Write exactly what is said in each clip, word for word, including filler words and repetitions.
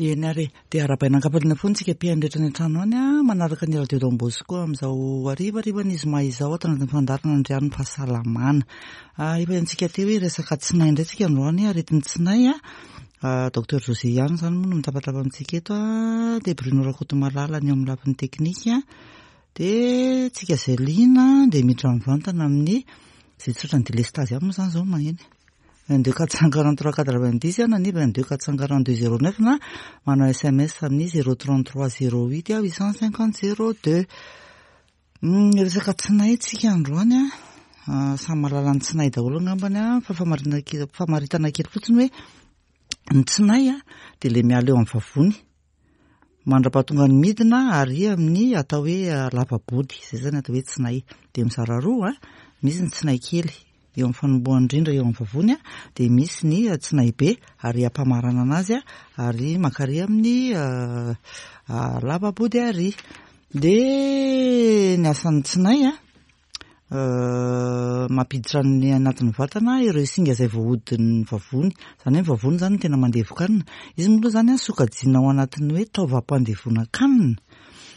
Eny ary e, dia arahabaina an-kampaliana foana isika mpihaino rehetra any an-trano any a, manaraka ny Radio Don Bosco amin'izao harivarivan'ny zoma izao ato anatin'ny fandaharana Andrian'ny Fahasalamana. Efa hitantsika teo hoe resaka tsinay indray tsika androany, aretin'ny tsinay a. Docteur José ihany izany moa no mitapatapa amintsika eto a, dia Bruno Rakotomalala ny eo amin'ny lafiny teknika. Dia tsika izay liana dia miditra mivantana amin'ny izay tsotra ny délestage ihany moa izany izao maheno. vingt-deux quatre cent quarante-trois quatre-vingt-dix na ny vingt-deux quatre cent quarante-deux zéro neuf na manao S M S amin'ny zéro trente-trois zéro huit huit cent cinquante zéro deux. Resaka tsinay tsika androany a, samy mahalala ny tsinay daholo angambany a, fa famaritana kely famaritana kely fotsiny hoe ny tsinay a dia le miala eo amin'ny vavony mandra-pahatonga ny midina ary amin'ny atao hoe lava-body, izay zany atao hoe tsinay. Dia mizara roa a, misy ny tsinay kely eo amin'ny fanombohany indrindra eo amin'ny vavony a, dia misy ny tsinay be ary ampamarana anazy a, ary makary amin'ny lava-body ary. Dia ny asan'ny tsinay a, mampiditra ny anatin'ny vatana ireo singa izay voahodin'ny vavony, izany hoe ny vavony zany no tena mandevokanina. Izy moa aloha zany a sokajiana ao anatin'ny hoe taovam-pandevonan-kanina,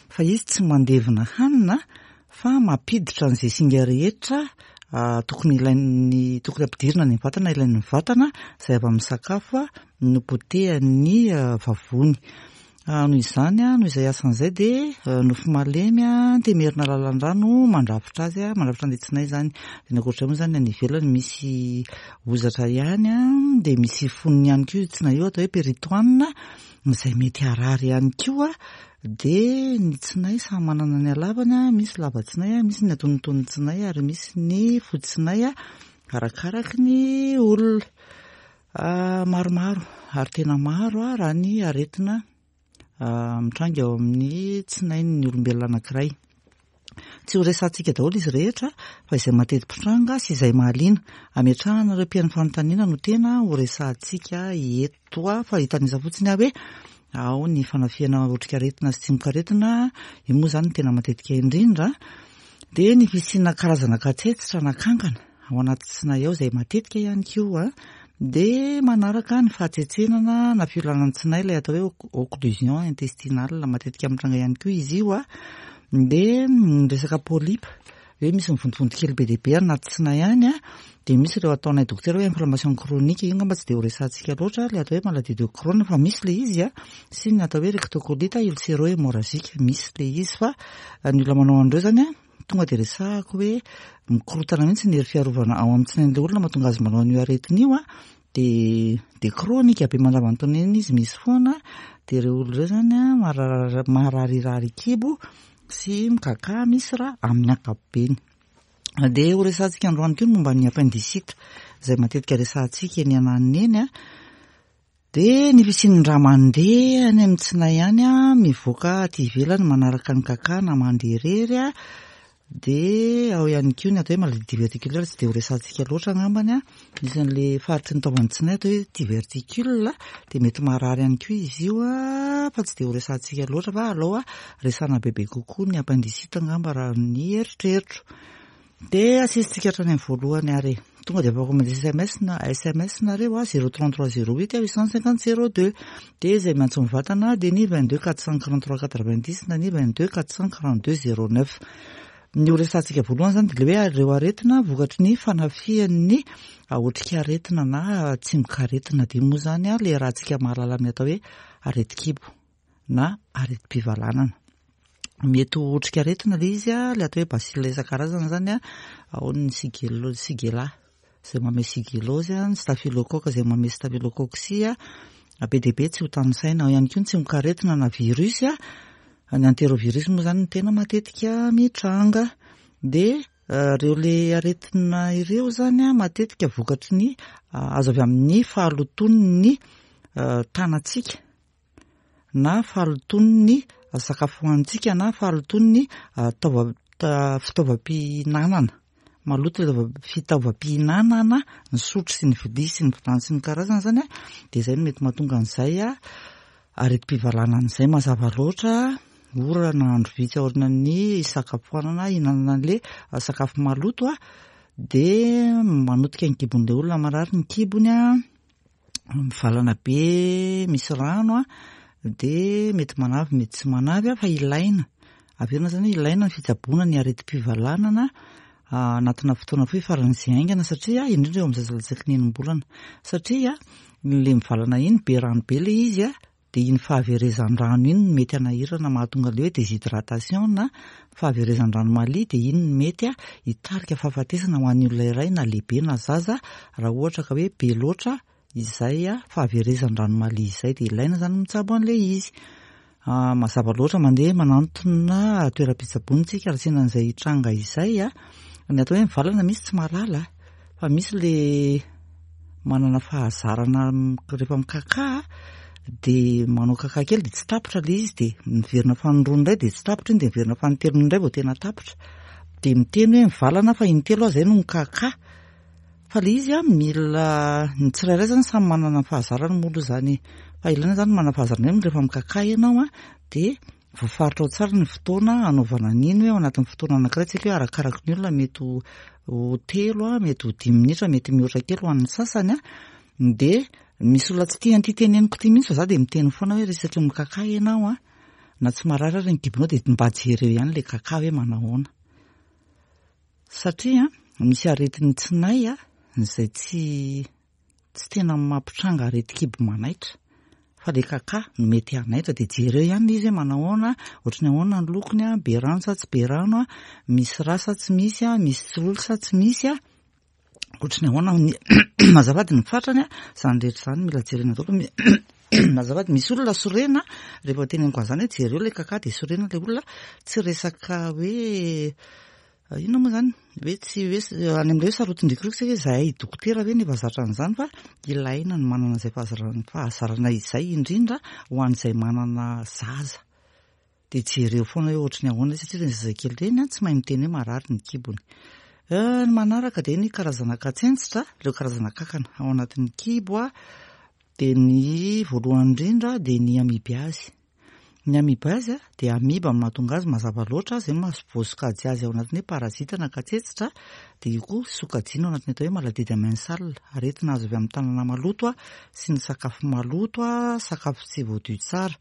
fa izy tsy mandevona hanina fa mampiditra an'izay singa rehetra tokony ilain'ny tokony ampidirina any amin'ny vatana, ilain'ny vatana izay avy amin'ny sakafo no potehan'ny vavony. Noho izany a, noho izay asan'izay dia nofo malemy a, temerina lalan-drano mandrafitra azy a, mandrafitra an'ilay tsinay zany. Dia ny ankoatr'izay moa zany any ivelany misy hozatra ihany a, dia misy fonony ihany koa io tsinay io atao hoe péritoine izay mety harary ihany koa. Dia ny tsinay samy manana ny halavany a, misy lava tsinay a, misy ny antonontonony tsinay ary misy ny fohy tsinay a, arakaraky ny olona. Maromaro ary tena maro a raha ny aretina mitranga eo amin'ny tsinain'ny olombelona anankiray. Tsy ho resahantsika daholo izy rehetra fa izay mateti-pitranga sy izay mahaliana ametrahana ireo mpihaino fanontaniana no tena ho resahantsika eto a, fa hitanisa fotsiny aho hoe ao ny fanafihana otrikaretina sy tsimokaretina, io moa zany no tena matetika indrindra. Dia ny fisiana karazana katsetsitra na kankana ao anaty tsinay ao izay matetika ihany koa. Dia manaraka ny fahatsetsenana na fiolanan'ny tsinay, ilay atao hoe occlusion intestinale, matetika mitranga ihany koa izy io a. Dia ny resaka polype, hoe misy mivontovonto kely be dia be anaty tsinay any a, dia misy ireo ataonay dokotera hoe inflammation chronique, io angamba tsy dia ho resahantsika loatra, ilay atao hoe maladie de Crohn fa misy ilay izy a, sy ny atao hoe rectocolite ulcéro-hémorragique, misy ilay izy fa ny olona manao an'ireo zany a, tonga dia resahako hoe mikorotana mihitsy ny hery fiarovana ao amin'ny tsinain'ilay olona mahatonga azy manao an'io aretina io a, dia dia chronique be mandavantaona eny izy misy foana. Dia ireo olona ireo zany a marary mararirary kibo sy mikaka misy raha amin'ny ankapobeny. Dia ho resahantsika androany koa ny momba ny appendicite izay matetika resahantsika eny ananina eny a. Dia ny fisian'ny rà mandeha any amin'ny tsinay any a, mivoaka aty ivelany manaraka ny kaka na mandeha irery a. Dia ao ihany koa ny atao hoe maladie diverticulaire, tsy dia ho resahantsika loatra angambany a. Misy an'le faritry ny taovan'ny tsinay atao hoe diverticule, dia mety marary ihany koa izy io a, fa tsy dia ho resahantsika loatra fa aleo a resahana bebe kokoa ny appendicite angamba raha ny eritreritro. Dia asesitsika hatrany amin'ny voalohany ary tonga dia afaka mandeha S M S na S M S nareo a, zéro trente-trois zéro huit huit cent cinquante zéro deux. Dia izay miantso mivantana dia ny vingt-deux quatre cent quarante-trois quatre-vingt-dix na ny vingt-deux quatre cent quarante-deux zéro neuf. Ny ho resahantsika voalohany zany dia le hoe ireo aretina vokatry ny fanafihan'ny otrikaretina na tsimokaretina. Dia moa zany a le rahantsika mahalala amin'ny atao hoe aretin-kibo na aretim-pivalanana. Mety ho otrikaretina le izy a, le atao hoe bacille isan-karazany zany a, ao ny shigelle, shigella izay manome shigellose a, ny staphylocoque izay manome staphylococcie a, be dia be tsy ho tanisaina. Ao ihany koa ny tsimokaretina na virus a, ny entérovirus moa zany no tena matetika mitranga. Dia ireo le aretina ireo zany a matetika vokatry ny azo avy amin'ny fahalotoan'ny tanantsika na fahalotoan'ny sakafo hohanintsika na fahalotoan'ny taova fitaovam-pihinanana maloto, le fitaovam-pihinanana, ny sotro sy ny vilia sy ny vilany sy ny karazany zany a, dia izay no mety mahatonga an'izay a aretim-pivalanana izay. Mazava loatra, ora na andro vitsy aorian'ny hisakafoanana hihinanana an'le sakafo maloto a, dia manotika ny kibon'ilay olona, marary ny kibony a, mivalana be misy rano a, dia mety manavy mety tsy manavy a, fa ilaina averina zany hoe ilaina ny fitsaboana ny aretim-pivalanana anatina fotoana fohy faran'izay haingana, satria indrindra eo amin'ny zaza latsaky ny enim-bolana, satria le mivalana iny be rano be le izy a, dia iny fahaverezan-drano iny no mety hanahirana mahatonga le hoe déshydratation na fahaverezan-drano malia, dia iny no mety a hitarika fahafatesana ho an'ny olona iray na lehibe na zaza raha ohatra ka hoe be loatra izay a fahaverezan-drano malia izay. Dia ilaina zany mitsabo an'ilay izy. Mazava loatra mandeha manantona toeram-pitsaboana isika raha sendra an'izay tranga izay a. Ny atao hoe mivalana misy tsy mahalala fa misy le manana fahazarana rehefa mikaka dia manao kaka kely dia tsy tapitra le izy, dia miverina fanindroany indray dia tsy tapitra iny, dia miverina fanintelony indray vao tena tapitra, dia miteny hoe mivalana fa intelo aho izay no mikaka. Fa le izy a mila ny tsirairay zany samy manana ny fahazarany moa aloha zany, fa ilaina zany manana fahazarana hoe rehefa mikaka ianao a dia voafaritra ao tsara ny fotoana anaovana an'iny, hoe ao anatin'ny fotoana anankiray tsika hoe arakaraky ny olona mety ho telo a, mety ho dimy minitra, mety mihoatra kely ho an'ny sasany a. Dia misy olona tsy tia an'ity teneniko ity mihitsy fa za dia miteny foana hoe resaky mikaka ianao a, na tsy marary ary ny kibonao dia mba jereo ihany le kaka hoe manahoana, satria misy aretin'ny tsinay a izay tsy tsy tena mampitranga aretin-kibo manaitra fa le kaka no mety hanaitra. Dia jereo ihany izy hoe manahoana, ohatry ny ahoana ny lokony a, be rano sa tsy be rano a, misy rà sa tsy misy a, misy tsiloly sa tsy misy a, ohatry ny ahoana ny azafady ny fatrany a, zany rehetra zany mila jerena daholo. Azafady, misy olona sorena rehefa teneniko an'izany hoe jereo le kaka dia sorena le olona, tsy resaka hoe inona moa zany hoe tsy hoe any amin'ilay hoe sarotindrikiriko satria zahay dokotera ve nefa zatra an'izany, fa ilaina ny manana izay fahazarana fahazarana izay indrindra ho an'izay manana zaza. Dia jereo foana hoe ohatry ny ahoana satria ireny zazakely ireny a tsy mahay miteny hoe marary ny kibony. Ny manaraka dia ny karazana katsentsitra, ireo karazana kankana ao anatin'ny kibo a, dia ny voalohany indrindra dia ny amibiazy. Ny amibiazy a dia amiba no mahatonga azy mazava loatra, izay no voasokajy azy ao anatin'ny hoe parazita na katsetsitra, dia io koa sokajiana ao anatin'ny atao hoe maladie amensale, aretina azo avy amin'ny tanana maloto a sy ny sakafo maloto a, sakafo tsy voadio tsara.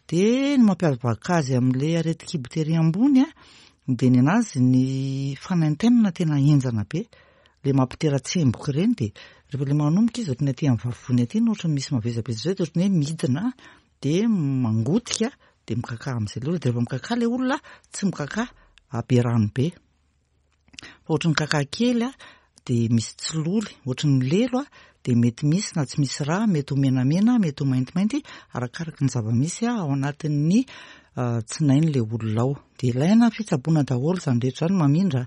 Dia ny mampiavaka azy amin'ilay aretin-kibo tery ambony a dia ny anazy ny fanaintainana tena henjana be, le mampitera-tsemboka ireny, dia rehefa le manomboka izy ohatry ny aty amin'ny vavony aty no ohatry ny misy mavesabesatra izay, dia ohatry ny hoe midina dia mangotika dia mikaka amin'izay le olona, dia rehefa mikaka le olona tsy mikaka be rano be fa ohatry ny kaka kely a, dia misy tsiloly ohatry ny lelo a, dia mety misy na tsy misy rà, mety ho menamena, mety ho maintimainty, arakaraky ny zava-misy ao anatin'ny tsinain'ilay olona ao. Dia ilaina fitsaboana daholo izany rehetra izany mamindra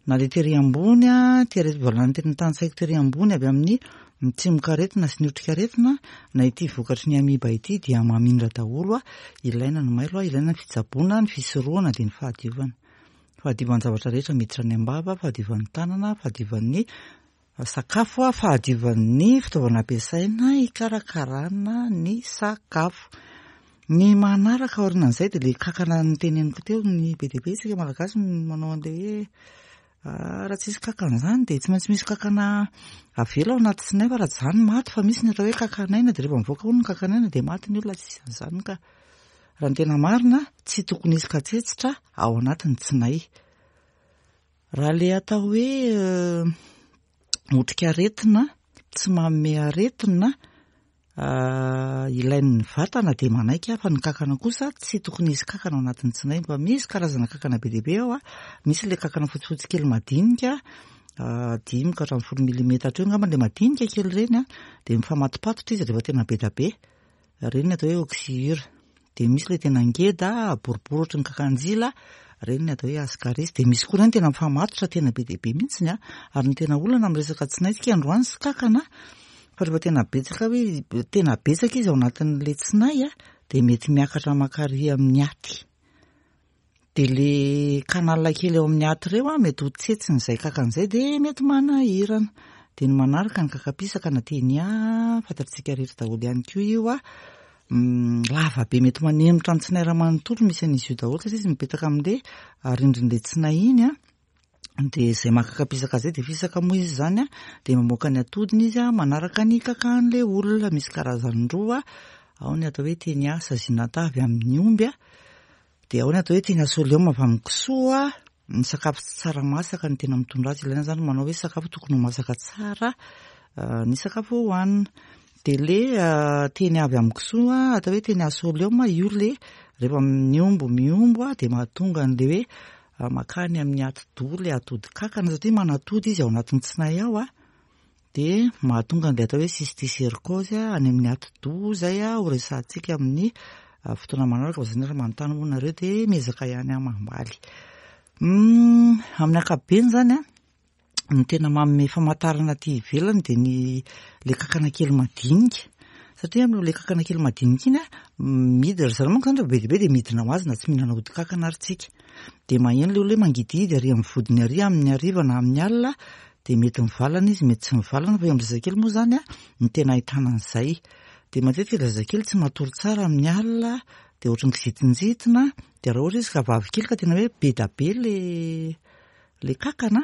na le tery ambony a, tery valany teny tany-tsaiko tery ambony avy amin'ny tsimokaretina sy ny otrikaretina na ity vokatry ny amiba ity dia mamindra daholo a. Ilaina ny mailo a, ilaina ny fitsaboana, ny fisorohana dia ny fahadiovana. Fahadiovan'ny zavatra rehetra miditra any am-bava, fahadiovan'ny tanana, fahadiovan'ny sakafo a, fahadiovan'ny fitaovana ampiasaina hikarakarana ny sakafo. Ny manaraka aorianan'izay dia le kankana noteneniko teo, ny be dia be isika malagasy manao an'ilay hoe raha tsisy kankana izany dia tsy maintsy misy kankana avela ao anaty tsinay fa raha tsy izany maty, fa misy ny atao hoe kankanaina dia rehefa mivoaka hono ny kankanaina dia maty ny olona, tsisy an'izany ka. Raha ny tena marina tsy tokony hisy katsetsitra ao anatin'ny tsinay. Raha le atao hoe otrikaretina tsy manome aretina ilain'ny vatana dia manaiky aho, fa ny kankana kosa tsy tokony hisy kankana ao anatin'ny tsinay, fa misy karazana kankana be dia be ao a, misy le kankana fotsifotsy kely madinika dimy ka hatramin'ny folo milimetatra eo angamba le madinika kely ireny a, dia mifamatopatotra izy rehefa tena be dia be, ireny ny atao hoe oxyure. Dia misy le tena ngeda boribory ohatry ny kakanjila, ireny ny atao hoe ascaris. Dia misy koa ireny tena mifamatotra tena be dia be mihitsiny a, ary ny tena olana amin'ny resaka tsinay tsika androany sy kankana, fa rehefa tena betsaka hoe tena betsaka izy ao anatin'ilay tsinay a, dia mety miakatra mankary amin'ny aty. Dia le canal kely ao amin'ny aty ireo a, mety ho tsetsin'izay kankana izay dia mety manahirana. Dia ny manaraka ny kakapisaka na tenia, fantatsika rehetra daholo ihany koa io a, lava be mety manemitra ny tsinay raha manontolo misy an'izy io daholo satria izy mipetaka amin'ilay rindrin'ilay tsinay iny a. Dia izay makakapisaka izay dia fisaka moa izy izany a, dia mamoaka ny atodiny izy a, manaraka ny kakan'ilay olona. Misy karazany roa, Ao ny atao hoe Taenia saginata avy amin'ny omby a, dia ao ny atao hoe Taenia solium avy amin'ny kisoa. Ny sakafo tsy tsara masaka no tena mitondra azy. Ilaina zany manao hoe sakafo tokony ho masaka tsara ny sakafo hohanina. Dia le Taenia avy amin'ny kisoa atao hoe Taenia solium io, le rehefa miombo miombo a, dia mahatonga an'le hoe makany amin'ny atidoha le atody kankana, satria manatody izy ao anatin'ny tsinay ao a, dia mahatonga an'ilay atao hoe cysticercose any amin'ny atidoha zay a, ho resahantsika amin'ny fotoana manaraka. Fa zany raha manontany moa nareo dia miezaka ihany aho mamaly. Amin'ny ankapobeny zany a, ny tena manome famantarana aty ivelany dia ny le kankana kely madinika, satria amin'le kankana kely madinika iny a, midina ry zareo manko zany rehefa be dia be, dia midina ho azy na tsy mihinana ody kankana ary tsika. Dia maheno le olona hoe mangidihidy ary amin'ny vodiny ary amin'ny hariva na amin'ny alina, dia mety mivalana izy, mety tsy mivalana, fa eo amin'ny zazakely moa zany a ny tena ahitana an'izay. Dia matetika le zazakely tsy matory tsara amin'ny alina, dia ohatran'ny kizitinjitina. Dia raha ohatra izy ka vavy kely ka tena hoe be da be le le kankana,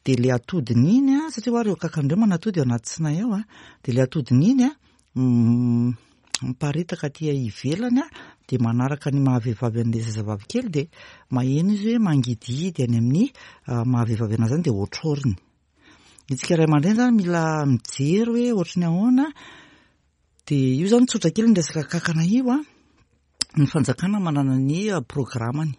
dia le atodiny iny a, satria hoa ireo kankana ireo manatody ao anaty tsinay ao a, dia le atodiny iny a miparitaka aty ivelany a, dia manaraka ny mahavehivavy an'ilay zazavavy kely, dia maheno izy hoe mangidihidy any amin'ny mahavehivavy anazy zany, dia ohatroriny. Itsika ray aman-dreny zany mila mijery hoe ohatry ny ahoana. Dia io zany tsotra kely ny resaka kankana io a. Ny fanjakana manana ny programmany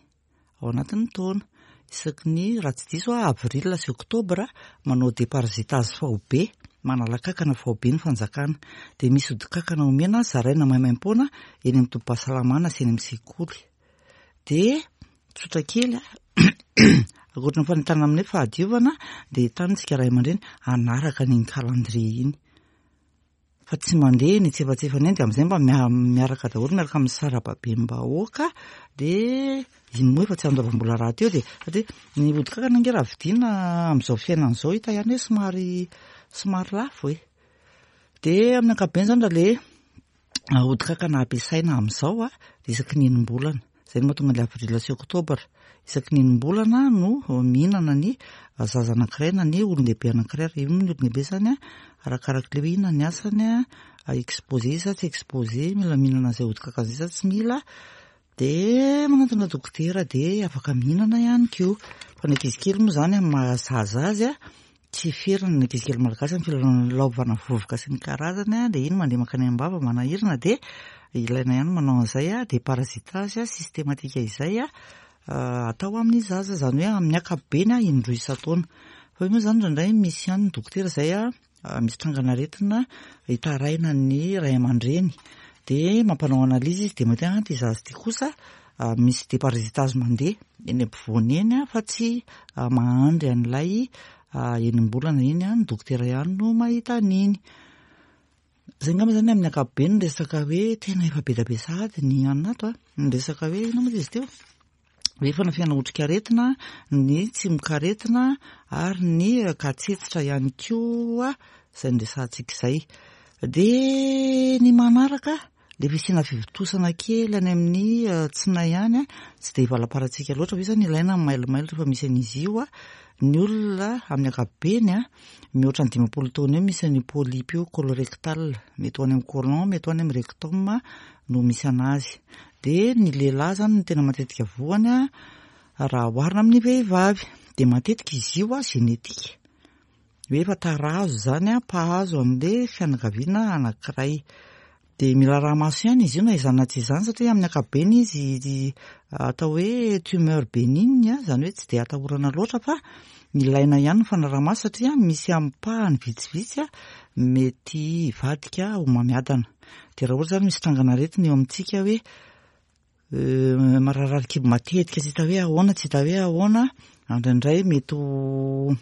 ao anatin'ny taona, isaky ny, raha tsy diso a, avril sy oktobra, manao déparasitage faobe, manala kankana faobe ny fanjakana. Dia misy ody kankana omena, zaraina maimaimpoana eny amin'ny tobim-pahasalamana sy eny amin'ny sekoly. Dia tsotra kely a, ankoatra ny fanentanana amin'ny hoe fahadiovana, dia entanitsika ray aman-dreny hanaraka an'iny calendrier iny, fa tsy mandeha ny tsefatsefany eny. Dia amin'izay mba miaraka daholo, miaraka amin'ny sarababem-bahoaka. Dia iny moa efa tsy andoavam-bola raha teo, dia satria ny ody kankana ange raha vidiana amin'izao fiainana izao, hita ihany hoe somary somary lafo e. Dia amin'ny ankapobeny zany, raha le ody kankana ampiasaina amin'izao a, dia isaky ny enim-bolana. Izay no mahatonga ny avril sy oktobra. Isaky ny enim-bolana no mihinana ny zaza anankiray na ny olon-dehibe anankiray. Io moa ny olon-dehibe zany a, arakarak'le hoe inona ny asany a, exposé sa tsy exposé, mila mihinana an'izay ody kankana izay sa tsy mila, dia manantona dokotera dia afaka mihinana ihany koa. Fa ny ankizy kely moa zany, amin'ny mahazaza azy a, tsy ferana ny ankizy kely malagasy amin'ny filalaovana vovoka sy ny karazany a, dia iny mandeha mankany am-bava manahirana, dia ilaina ihany manao an'izay a déparasitage systématique izay a atao amin'ny zaza, zany hoe amin'ny ankapobeny a indroa isan-taona. Fa io moa zany indraindray misy ihany ny dokotera izay a misy trangan'aretina hitaraina ny ray aman-dreny, dia mampanao analyse izy, dia mahita hoe ty zaza ty kosa misy déparasitage mandeha eny ampovoany eny a, fa tsy mahandry an'ilay enim-bolana iny a, ny dokotera ihany no mahita an'iny. Zay angamba zany amin'ny ankapobeny ny resaka hoe tena efa be da be sahady ny anina ato a, ny resaka hoe inona moa izy teo, hoe fanafihana otrikaretina, ny tsimokaretina ary ny katsetsitra ihany koa izay noresahantsika izay. Dia ny manaraka, le fisiana fivontosana kely any amin'ny tsinay any a, tsy dia valamparantsika loatra, fa io zany ilaina mailomailo rehefa misy an'izy io a. Ny olona amin'ny ankapobeny a, mihoatra ny dimampolo taona eo, misy an'io polype io colorectal, mety ho any amin'ny côlon, mety ho any amin'ny rectum no misy anazy. Dia ny lehilahy zany no tena matetika voany a, raha oharina amin'ny vehivavy. Dia matetika izy io a génétique, hoe efa tarazo zany a, mpahazo an'le fianakaviana anankiray. Dia mila araha-maso ihany izy io na izany na tsy izany, satria amin'ny ankapobeny izy atao hoe tumeur bénigne, zany hoe tsy dia atahorana loatra, fa ilaina ihany ny fanaraha-maso, satria misy ampahany vitsivitsy a mety hivadika ho homamiadana. Dia raha ohatra zany misy trangan'aretina eo amintsika hoe mararirary kibo matetika, tsy hita hoe ahoana, tsy hita hoe ahoana, indraindray mety ho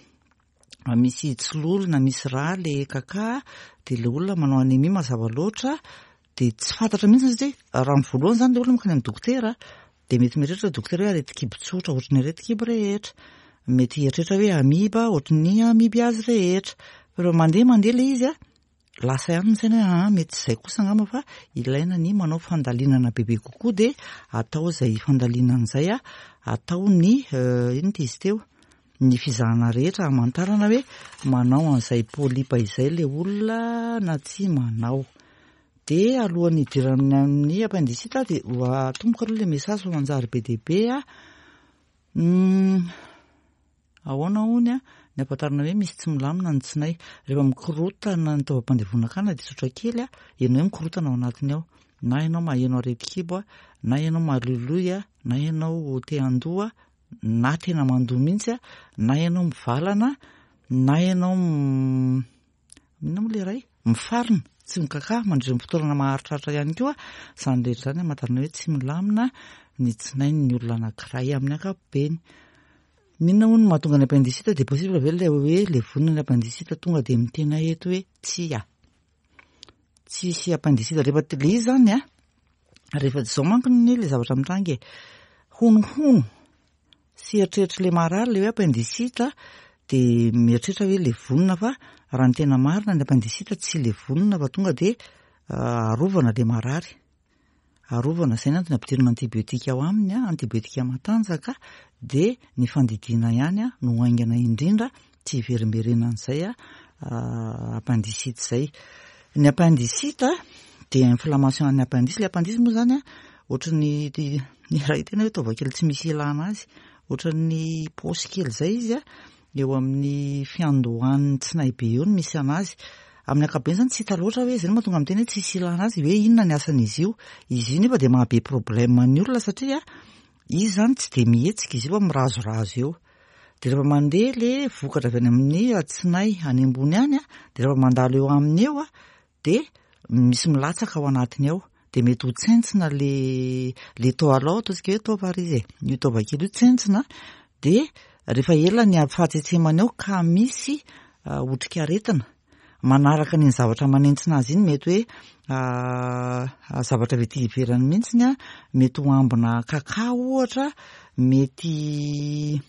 misy tsilolo na misy rà le kaka, dia le olona manao anémie mazava loatra, dia tsy fantatra mihitsy, satria raha ny voalohany zany le olona mankany amin'ny dokotera, dia mety mieritreritra dokotera hoe aretin-kibo tsotra ohatry ny aretin-kibo rehetra, mety hieritreritra hoe amiba ohatry ny amibiazy rehetra. Fa rehefa mandeha mandeha le izy a, lasa ihany ny saina hoe ah, mety tsy izay kosa angamba, fa ilaina ny manao fandalinana bebe kokoa. Dia atao izay fandalinana izay a, atao ny inona ty izy teo, ny fizahana rehetra hamantarana hoe manao an'izay polype izay le olona na tsy manao. De alohan'ny hidirana amin'ny appendicite de atomboka aloha le message fa manjary be dia be a. Ahoana hony a ny ahafantarana hoe misy tsy milamina ny tsinay? Rehefa mikorotana ny taovam-pandevonan-kanina de tsotra kely a, heno hoe mikorotana ao anatiny ao. Na ianao maheno aretin-kibo a, na ianao maloloy a, na ianao te handoa, na tena mandoa mihitsy a, na ianao mivalana, na ianao inona moa le iray? Mifarina, tsy mikaka mandritra ny fotoana maharitraritra ihany koa. Izany rehetra izany ahafantarana hoe tsy milamina ny tsinain'ny olona anankiray amin'ny ankapobeny. Inona hono no mahatonga ny appendicite? De possible ve le hoe levonina ny appendicite? Tonga de miteny eto hoe tsia. Tsisy appendicite rehefa le izy zany a, rehefa zao manko ny le zavatra mitranga e, honohono sy eritreritry le marary le hoe appendicite de mieritreritra hoe levonina, fa raha ny tena marina ny appendicite tsy levonina fa tonga de arovana le marary. Arovana, zay ny antony ampidirina antibiotika ao aminy a, antibiotika matanjaka, de ny fandidiana ihany a no haingana indrindra tsy hiverimberenan'izay a appendicite zay. Ny appendicite de inflammation an'ny appendice. Le appendice moa zany a ohatran'ny ny raha tena hoe taova kely tsy misy ilana azy, ohatran'ny paosy kely zay izy a, eo amin'ny fiandohan'ny tsinay be eo no misy anazy. Amin'ny ankapobeny zany tsy hita loatra hoe zay no mahatonga miteny hoe tsisy ilana azy, hoe inona ny asan'izy io. Izy io nefa de mahabe problème ny olona satria izy zany tsy de mihetsika izy io fa mirazorazo eo. De rehefa mandeha le vokatra avy any amin'ny tsinay any ambony any a, de rehefa mandalo eo aminy eo a, de misy milatsaka ao anatiny ao, de mety ho tsentsina le le taova ao, ataontsika hoe taova ary izy e, io taova kely io tsentsina, de rehefa ela ny fahatsetsemana eo ka misy otrikaretina manaraka n'iny zavatra manentsina azy iny, mety hoe zavatra avy aty ivelany mihitsiny a, mety ho ambina kaka ohatra, mety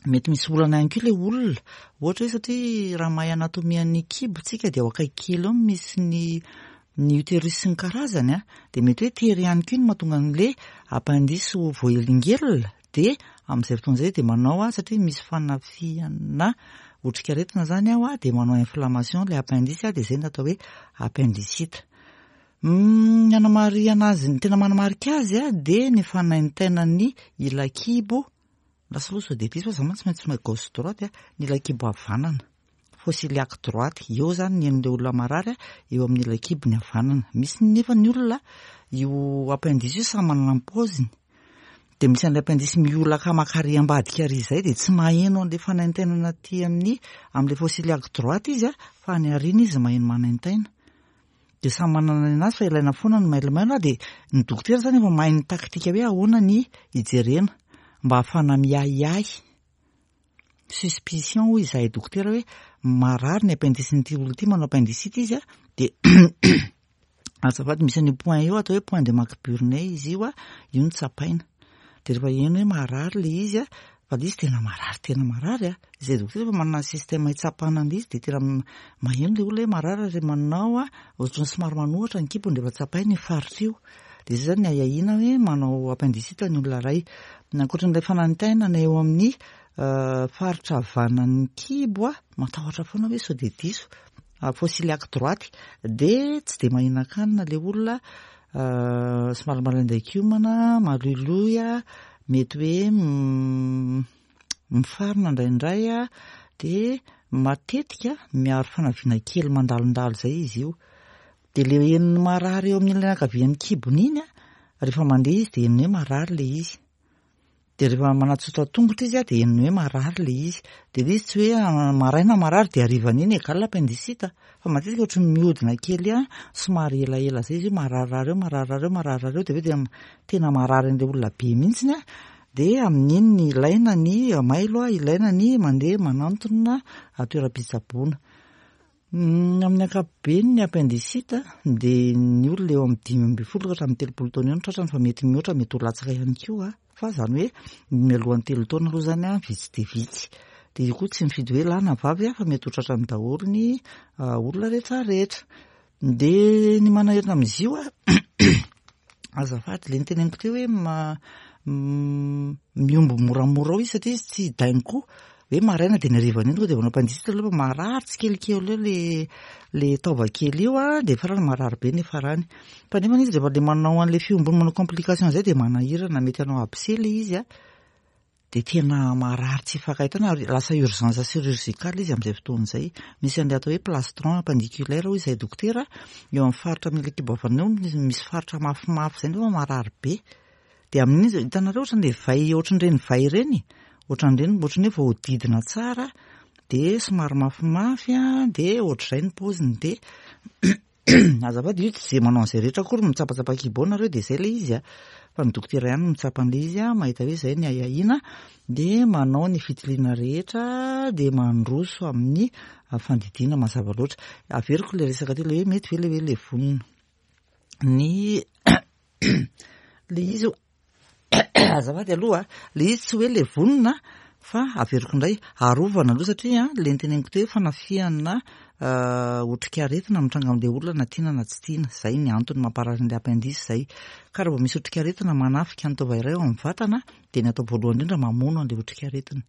mety misy olana ihany koa le olona, ohatra hoe satria raha mahay anatomie-n'ny kibo tsika de ao akaiky kely eo misy ny ny utérus sy ny karazany a, de mety hoe tery ihany koa no mahatonga an'le appendice ho voahelingelina, de amin'izay fotoana izay de manao a, satria misy fanafihana otrikaretina zany ao a, de manao inflammation le appendice a, de zay no atao hoe appendicite. Ny anamarihana azy, ny tena manamarika azy a, de ny fanaintainan'ny ila-kibo, lasa aloha sao de diso fa za mantsy tsy maintsy gauche droite a, ny ila-kibo havanana, fosse iliaque droite, eo zany ny an'le olona marary a, eo amin'ny ila-kibo ny havanana. Misy nefa ny olona io appendice io samy manana ny paoziny, de misy an'ilay appendice miolaka makary ambadika ary izay de tsy maheno an'le fanaintainana aty amin'ny amin'le fosse iliaque droite izy a, fa any aoriana izy maheno manaintaina. De samy manana ny anazy fa ilaina foana ny mailomailo a, de ny dokotera zany efa mahay ny taktika hoe ahoana ny hijerena mba ahafahana miahiahy, suspicion hoy izahay dokotera, hoe marary ny appendice-n'ity olona ity, manao appendicite izy a, de azafady, misy an'io point io atao hoe point de McBurney izy io a, io no tsapaina. De rehefa heno hoe marary le izy a, fa le izy tena marary, tena marary a, izay dokotera efa manana système hitsapana an'le izy, de tena maheno le olona hoe marary ary manao a ohatran'ny somary manohitra ny kibony rehefa tsapaina io faritra io. De zay zany ny ahiahiana hoe manao appendicite ny olona iray. Ankoatran'ilay fanaintainana eo amin'ny faritra havanan'ny kibo a, matahotra foana hoe sao de diso, fosse iliaque droite, de tsy de mahinan-kanina le olona, somary malaindain-kiomana, maloiloy a, mety hoe mifarina indraindray a, de matetika miaro fanaviana kely mandalondalo zay izy io. De le henony marary eo amin'ny ilany ankavian'ny kibony iny a, rehefa mandeha izy de henony hoe marary le izy. De rehefa manatsotra tongotra izy a, de henony hoe marary le izy. De le izy tsy hoe maraina marary de harivan'iny égal appendicite, fa matetika ohatran'ny mihodina kely a, somary elaela zay izy io mararirary eo, mararirary eo, mararirary eo, de avy eo de tena marary an'le olona be mihitsiny a, de amin'iny ny ilaina ny mailo a, ilaina ny mandeha manantona toeram-pitsaboana. Amin'ny ankapobeny ny appendicite de ny olona eo amin'ny dimy ambin'ny folo ka hatramin'ny telopolo taona eo no tratrany, fa mety mihoatra, mety ho latsaka ihany koa, fa zany hoe mialohan'ny telo taona aloha zany a vitsy de vitsy. De io koa tsy mifidy hoe lahy na vavy a, fa mety ho tratrany daholo ny olona rehetrarehetra. De ny manahirana amin'izy io a, azafady, le niteneniko teo hoe ma- miombo moramora ao izy satria izy tsy d'un coup Hoe maraina dia ny harivan'iny tonga dia manao appendicite aloha fa marary tsikelikely eo le le taova kely io a, dia farany marary be ny farany. Fa nefa izy rehefa le manao an'le fiombony manao complication zay dia manahirana, mety hanao abcès le izy a. Dia tena marary tsy ifankahitana ary lasa urgence chirurgicale izy amin'izay fotoana izay. Misy an'ilay atao hoe plastron appendiculaire hoy izahay dokotera, eo amin'ny faritra amin'ilay kibo havanana eo misy faritra mafimafy izay nefa marary be. Dia amin'iny hitanareo ohatran'ilay vay, ohatran'ireny vay ireny, ohatran'ireny ohatran'ny hoe voahodidina tsara, dia somary mafimafy a, dia ohatr'izay ny paoziny. Dia azafady, io tsy izay manao an'izay rehetra akory mitsapatsapa kibo ao nareo dia izay ilay izy a. Fa ny dokotera ihany no mitsapa an'ilay izy a, mahita hoe izay ny ahiahiana, dia manao ny fitiliana rehetra, dia mandroso amin'ny fandidiana mazava loatra. Averiko ilay resaka teo ilay hoe mety ve ilay hoe levonina. Ny le izy azafady aloha, le izy tsy hoe levonina fa averiko indray arovana aloha satria le niteneniko teo hoe fanafihana otrikaretina mitranga amin'ilay olona na tiana na tsy tiana. Zay ny antony mamparary an'ilay appendice zay. Ka raha vao misy otrikaretina manafika ny taova iray ao amin'ny vatana dia ny atao voalohany indrindra mamono an'ilay otrikaretina.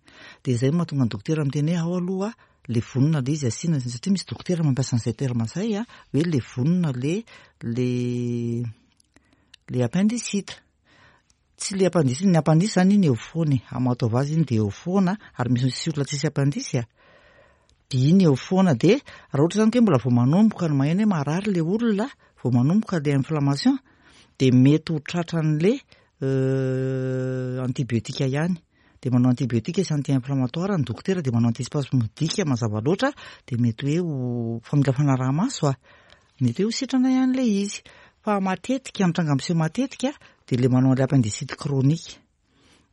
Dia zay no mahatonga ny dokotera miteny hoe ao aloha levonina le izy asiana, satria misy dokotera mampiasa an'izay terme zay a, hoe levonina le le le appendicite. Tsy le appendice, ny appendice zany iny eo foana e, amin'ny maha-taova azy iny dia eo foana, ary misy misy olona tsisy appendice a. Dia iny eo foana, dia raha ohatra zany ka hoe mbola vao manomboka no maheno hoe marary le olona, vao manomboka le inflammation, dia mety ho tratran'le antibiotika ihany. Dia manao antibiotika sy anti-inflammatoire ny dokotera, dia manao antispasmodique mazava loatra, dia mety hoe ho fa mila fanaraha-maso a, mety hoe ho sitrana ihany le izy. Fa matetika, mitranga miseho matetika, dia le manao an'ilay appendicite chronique.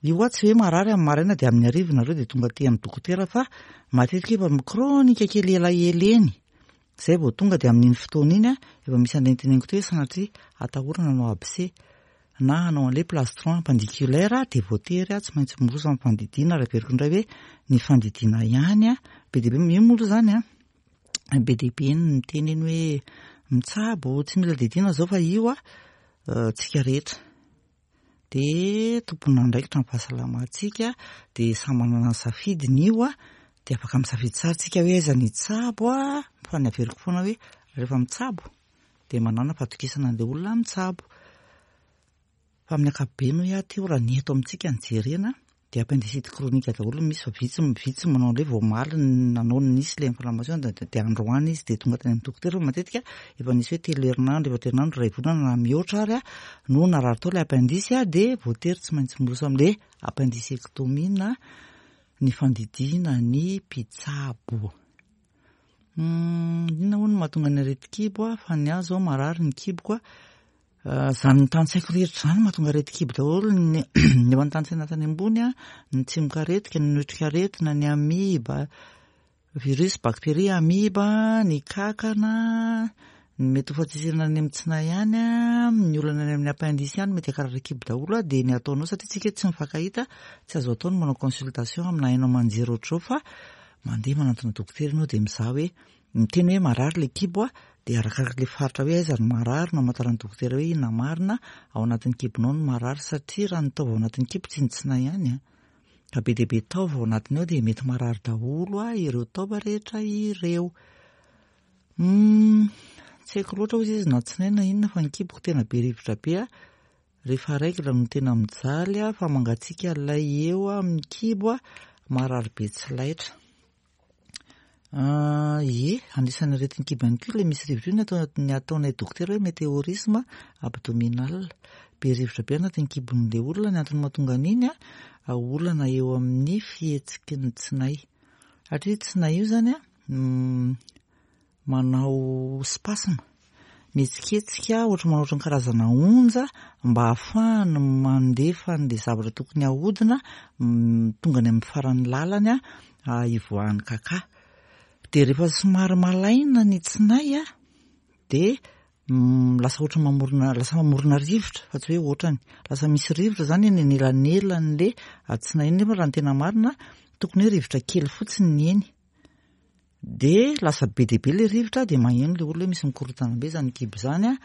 Io a tsy hoe marary amin'ny maraina dia amin'ny hariva nareo dia tonga aty amin'ny dokotera, fa matetika efa chronique kely elaela eny. Zay vao tonga dia amin'iny fotoana iny a, efa misy an'ilay niteneniko teo hoe sanatria atahorana hanao abcès na hanao an'ilay plastron appendiculaire, dia voatery a tsy maintsy miroso amin'ny fandidiana. Ary averiko indray hoe ny fandidiana ihany a, be dia be io moa aloha zany a, be dia be ny miteny eny hoe mitsabo tsy mila didiana zao, fa io a tsika rehetra de tompon'andraikitra ny fahasalamantsika, dia samy manana ny safidiny io a, dia afaka misafidy tsara tsika hoe aiza ny hitsabo a. Fa ny averiko foana hoe rehefa mitsabo dia manana fahatokisana an'ilay olona mitsabo. Fa amin'ny ankapobeny hoy aho teo, raha ny eto amintsika ny jerena dia appendicite chronique daholo misy, fa vitsy vitsy manao an'ilay vao omaly nanao nisy ilay inflammation dia androany izy dia tonga tany amin'ny dokotera, fa matetika efa nisy hoe telo herinandro, efatra herinandro, iray volana na mihoatra ary a no narary tao ilay appendice a, dia voatery tsy maintsy miroso amin'ilay appendicectomie na ny fandidiana ny mpitsabo. Inona hono no mahatonga ny aretin-kibo a? Fa ny ahy zao marary ny kiboko a. Zany tantsaiko rehetra zany mahatonga aretin-kibo daholo, ny ny efa notantsaina tany ambony a, ny tsimokaretina, ny otrikaretina, ny amiba, virus, bactérie, amiba, ny kankana, ny mety ho fahatsitsirana any amin'ny tsinay ihany a, ny olana any amin'ny appendice ihany mety hakarary kibo daholo a. Dia ny ataonao, satria tsika tsy mifankahita, tsy azo atao ny manao consultation amina haino aman-jery ohatr'izao, fa mandeha manantona dokotera ianao dia mizaha hoe miteny hoe marary le kibo a, dia arakaraka le faritra hoe aiza no marary no hamantaran'ny dokotera hoe inona marina ao anatin'ny kibonao no marary, satria raha ny taova ao anatin'ny kibo tsy ny tsinay ihany a, ka be dia be taova ao anatiny ao dia mety marary daholo a ireo taova rehetra ireo. Tsy haiko loatra hozy izy na tsinay na inona, fa ny kiboko tena be rivotra be a, rehefa règle no tena mijaly a, fa mangatsiaka ilay eo amin'ny kibo a, marary be tsy laitra. Ie, anisan'ny aretin'ny kibo ihany koa ilay misy rivotra io, ny atao ny ataonay dokotera hoe météorisme abdominal. Be rivotra be anatin'ny kibon'ilay olona. Ny antony mahatonga an'iny a, olana eo amin'ny fihetsiky ny tsinay. Satria tsinay io zany a manao spasme, mihetsiketsika ohatry manao ohatran'ny karazana onja mba ahafahany mandefa an'ilay zavatra tokony hahodina tonga any amin'ny faran'ny lalany a hivoahan'ny kaka. Dia rehefa somary malaina ny tsinay a, dia lasa ohatry mamorona, lasa mamorona rivotra, fa tsy hoe ohatrany, lasa misy rivotra zany eny anelanelan'le tsinay iny, nefa raha ny tena marina tokony hoe rivotra kely fotsiny ny eny. Dia lasa be dia be le rivotra, dia maheno le olona hoe misy mikorontana be zany kibo zany a,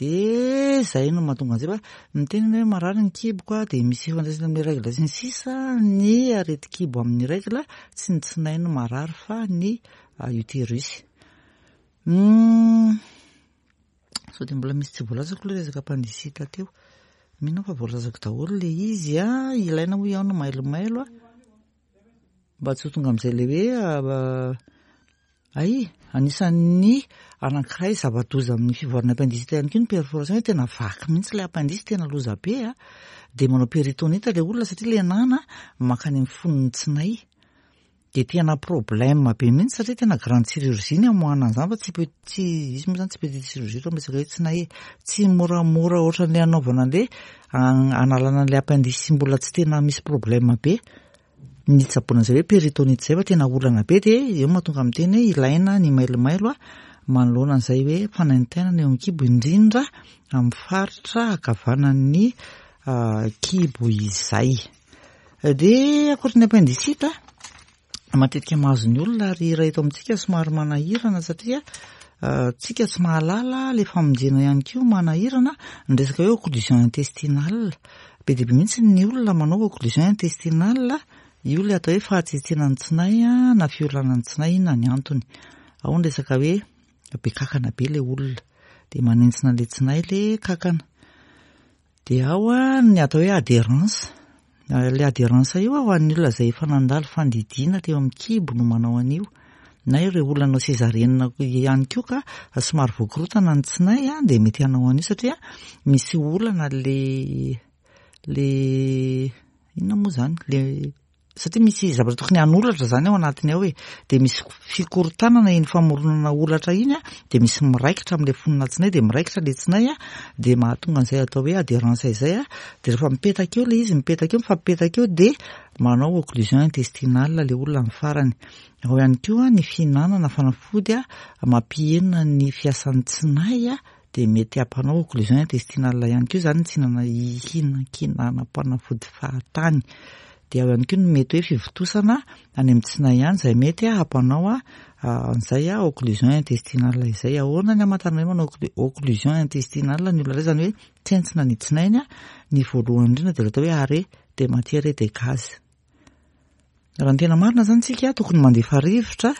De zay no mahatonga an'izay fa miteny hoe marary ny kiboko a, de misy ifandraisany amin'ny règle sy ny sisa. Ny aretin-kibo amin'ny règle, tsy ny tsinay no marary fa ny utérus. Sao de mbola misy tsy voalazako le resaka appendicite teo? Mino aho fa voalazako daholo le izy a. Ilaina hoy aho no mailomailo a, mba tsy ho tonga amin'izay le hoe ay. Anisan'ny anankiray zava-doza amin'ny fivoarana appendicite ihany koa ny perforation, hoe tena vaky mihitsy le appendice, tena loza be a, de manao péritonite le olona satria le nana mankany amin'ny fonony tsinay, de tena problème be mihitsy satria tena grande chirurgie ny amoahana an'izany, fa tsy tsy izy moa zany, tsy petite chirurgie raha resaka hoe tsinay e, tsy moramora ohatran'le anaovana an'le analana an'le appendice mbola tsy tena misy problème be ny tsaboana an'izay hoe péritonite zay, fa tena olana be. De eo mahatonga miteny hoe ilaina ny mailomailo a manoloana an'izay hoe fanaintainana eo amin'ny kibo, indrindra amin'ny faritra ankavanan'ny kibo izay. De ankoatra ny appendicite, matetika mahazo ny olona ary raha eto amintsika somary manahirana satria tsika tsy mahalala le famonjena ihany koa, manahirana ny resaka hoe occlusion intestinale. Be dia be mihitsy ny olona manao occlusion intestinale io, le atao hoe fahatsetsenan'ny tsinay na fiolanan'ny tsinay. Inona ny antony? Ao ny resaka hoe be kakana be le olona, de manentsina le tsinay le kakana. De ao a ny atao hoe adhérence. Le adhérence io a, ho an'ny olona izay efa nandalo fandidiana teo amin'ny kibo no manao an'io, na ireo olona nanao césarienne ihany koa ka somary voakorotana ny tsinay a, de mety hanao an'io satria misy olana le le inona moa zany le, satria misy zavatra tokony hanolatra zany ao anatiny ao e, de misy fikorotanana iny famoronana olatra iny a, de misy miraikitra amin'le fonona tsinay, de miraikitra le tsinay a, de mahatonga an'izay atao hoe adhérence izay a. De rehefa mipetaka eo le izy, mipetaka eo, mifampipetaka eo, de manao occlusion intestinale le olona amin'ny farany. Ao ihany koa ny fihinanana fanafody a mampihena ny fiasan'ny tsinay a, de mety hampanao occlusion intestinale ihany koa zany, tsy hinana hihinankinanam-panafody fahatany. De ao ihany koa ny mety hoe fivontosana any amin'ny tsinay ihany izay mety hampanao a an'izay a occlusion intestinale izay. Ahoana ny hamantarana hoe manao occlusion intestinale ny olona iray? Zany hoe tsentsina ny tsinainy a, ny voalohany indrindra de atao hoe arrêt de matière et de gaz. Raha ny tena marina zany, tsika tokony mandefa rivotra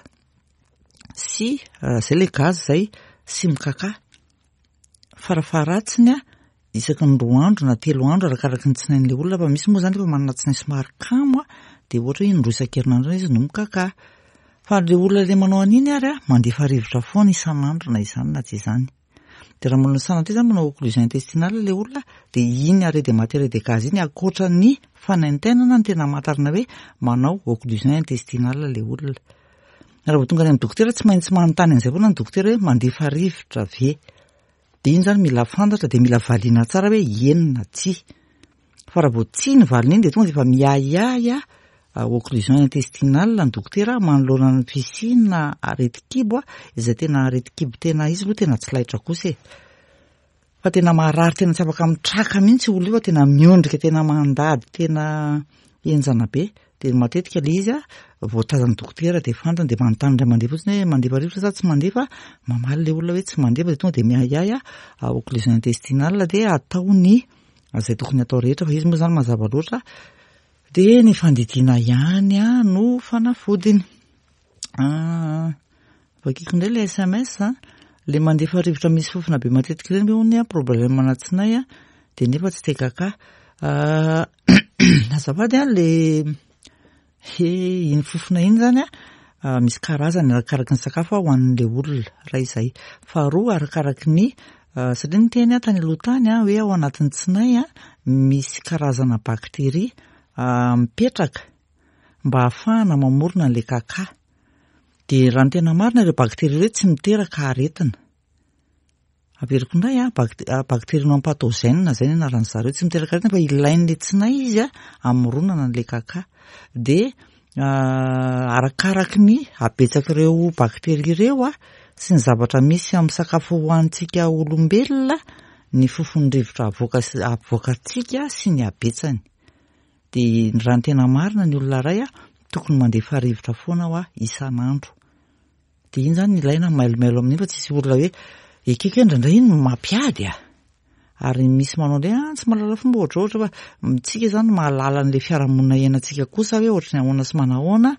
sy zay le gaz zay sy mikaka farafaharatsiny a isaky ny roa andro na telo andro, arakaraky ny tsinain'le olona, fa misy moa zany efa manana tsinay somary kamo a, de ohatra hoe indroa isan-kerinandro izy no mikaka. Fa le olona le manao an'iny ary a mandefa rivotra foana isan'andro, na izany na tsy izany. De raha manao sanatria zany manao occlusion intestinale le olona, de iny arrêt de matière et de gaz iny, ankoatra ny fanaintainana, ny tena hamantarana hoe manao occlusion intestinale le olona. Raha vao tonga any amin'ny dokotera, tsy maintsy manontany an'izay foana ny dokotera hoe mandefa rivotra ve? De iny zany mila fantatra, de mila valiana tsara hoe eny na tsia. Fa raha vao tsia ny valiny iny, de tonga de efa miahiahy a occlusion intestinale ny dokotera manoloana ny fisiana aretin-kibo a izay tena aretin-kibo tena izy aloha tena tsy laitra kosa e, fa tena marary, tena tsy afaka mitraka mihitsy olo io, fa tena miondrika, tena mandady, tena henjana be. De matetika le izy a voatazan'ny dokotera, de fantany, de manontany indray mandeha fotsiny hoe mandefa rivotra sa tsy mandefa? Mamaly le olona hoe tsy mandefa, de tonga de miahiahy a occlusion intestinale, de atao ny izay tokony atao rehetra, fa izy moa zany mazava loatra, de ny fandidiana ihany a no fanafodiny. Vakiko indray le S M S. Le mandefa rivotra misy fofona be matetika ireny ve hono a problème ana tsinay a, de nefa tsy te kaka? Azafady a, le he iny fofona iny zany a misy karazany arakaraky ny sakafo a hohanin'le olona raha izay. Faharoa, arakaraky ny, satria ny teny a tany aloha tany a hoe ao anatin'ny tsinay a misy karazana bakteria mipetraka mba ahafahana mamorona an'le kaka. De raha ny tena marina, ireo bakteria ireo tsy miteraka aretina. Averiko indray a, bactérie non pathogène zay ny anaran'ny zareo, tsy miteraka aretina fa ilain'le tsinay izy a amoronana an'le kaka. De arakaraky ny habetsak'ireo bakteria ireo a sy ny zavatra misy amin'ny sakafo hohanintsika olombelona ny fofon'ny rivotra avoaka avoakantsika sy ny habetsany. De raha ny tena marina, ny olona iray a tokony mandefa rivotra foana ho a isan'andro. De iny zany ilaina mailomailo amin'iny, fa tsisy olona hoe ekeko hoe indraindray iny mampiady a. Ary misy manao indray ah tsy mahalala fomba ohatra ohatra fa tsika zany mahalala an'le fiarahamonina iainantsika kosa hoe ohatry ny ahoana sy manahoana,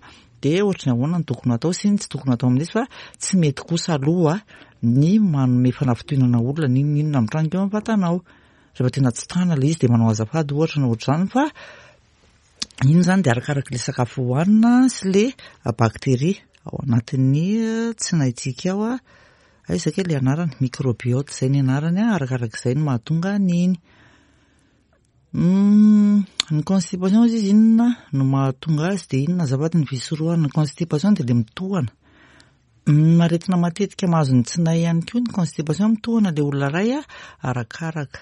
dia ohatry ny ahoana ny tokony atao sy ny tsy tokony atao amin'izy, fa tsy mety kosa aloha ny manome fanafintohinana olona n'inon'inona mitranga eo amin'ny vatanao. Rehefa tena tsy tana ilay izy dia manao azafady ohatra na ohatr'izany, fa iny zany dia arakaraka ilay sakafo hohanina sy ilay bakteria ao anatin'ny tsinaintsika ao. Aiza kay ilay anarany? Microbiote izay ny anarany, arakarak'izay no mahatonga an'iny. Ny constipation izy inona no mahatonga azy dia inona azafady ny fisorohana ny constipation? Dia ilay mitohana. Aretina matetika mahazo ny tsinay ihany koa ny constipation, mitohana ilay olona iray arakaraka.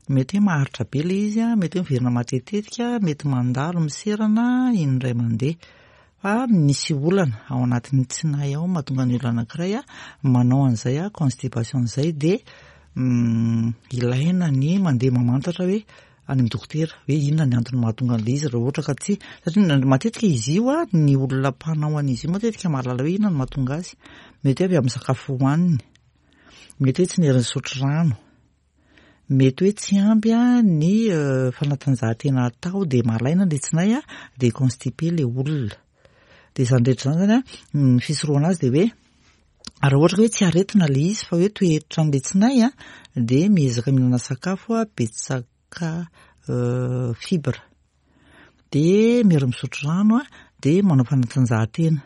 Mety hoe maharitra be ilay izy, mety hoe miverina matetitetika, mety mandalo miserana indray mandeha. Fa misy olana ao anatin'ny tsinay ao mahatonga ny olona anankiray manao an'izay constipation izay, dia ilaina ny mandeha mamantatra hoe any amin'ny dokotera hoe inona ny antony mahatonga an'ilay izy, raha ohatra ka tsy, satria matetika izy io ny olona mpanao an'izy io matetika mahalala hoe inona no mahatonga azy. Mety hoe avy amin'ny sakafo hohaniny, mety hoe tsy nety nisotro rano, mety hoe tsy ampy ny fanatanjahantena atao dia malaina ilay tsinay dia constipé ilay olona. Dia izany rehetra izany zany ny fisorohana azy dia hoe raha ohatra ka hoe tsy aretina ilay izy fa hoe toetra an'ilay tsinay dia miezaka mihinana sakafo betsaka fibre, dia miara misotro rano, dia manao fanatanjahantena.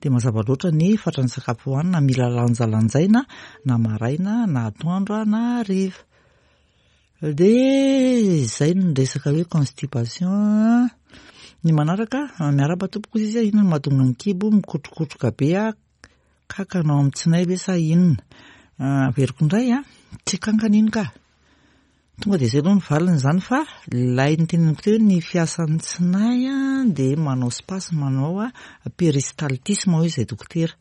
Dia mazava loatra ny fatran'ny sakafo hohanina mila lanjalanjaina na maraina na atoandro na hariva. Dia izay no resaka hoe constipation. Ny manaraka, miarahaba tompoko izy, inona no mahatonga ny kibo mikotrokotroka be kankana ao amin'ny tsinay ve sa inona? Averiko indray, tsy kankana iny ka. Tonga dia izay aloha ny valiny izany, fa ilay niteneniko teo hoe ny fiasan'ny tsinay dia manao spasme, manao péristaltisme hoy izay dokotera.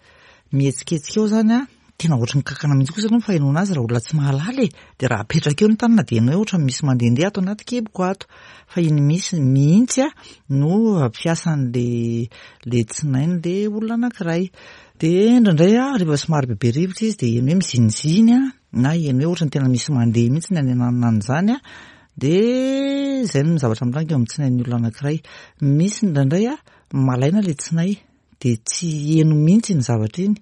Mihetsiketsika eo zany, tena ohatry ny kankana mihitsy kosa aloha ny fahenoana azy raha olona tsy mahalala e. Dia raha apetraka eo ny tanana dia heno hoe ohatry ny misy mandehandeha ato anaty kiboko ato. Fa iny misy mihitsy no fiasan'le le tsinain'le olona anankiray. Dia indraindray rehefa somary bebe rivotra izy dia heno hoe miziniziny na heno hoe ohatry ny tena misy mandeha mihitsy ny any ananona an'izany. Dia izay no zavatra mitranga eo amin'ny tsinain'ny olona anankiray. Misy indraindray malaina ilay tsinay dia tsy heno mihitsy iny zavatra iny.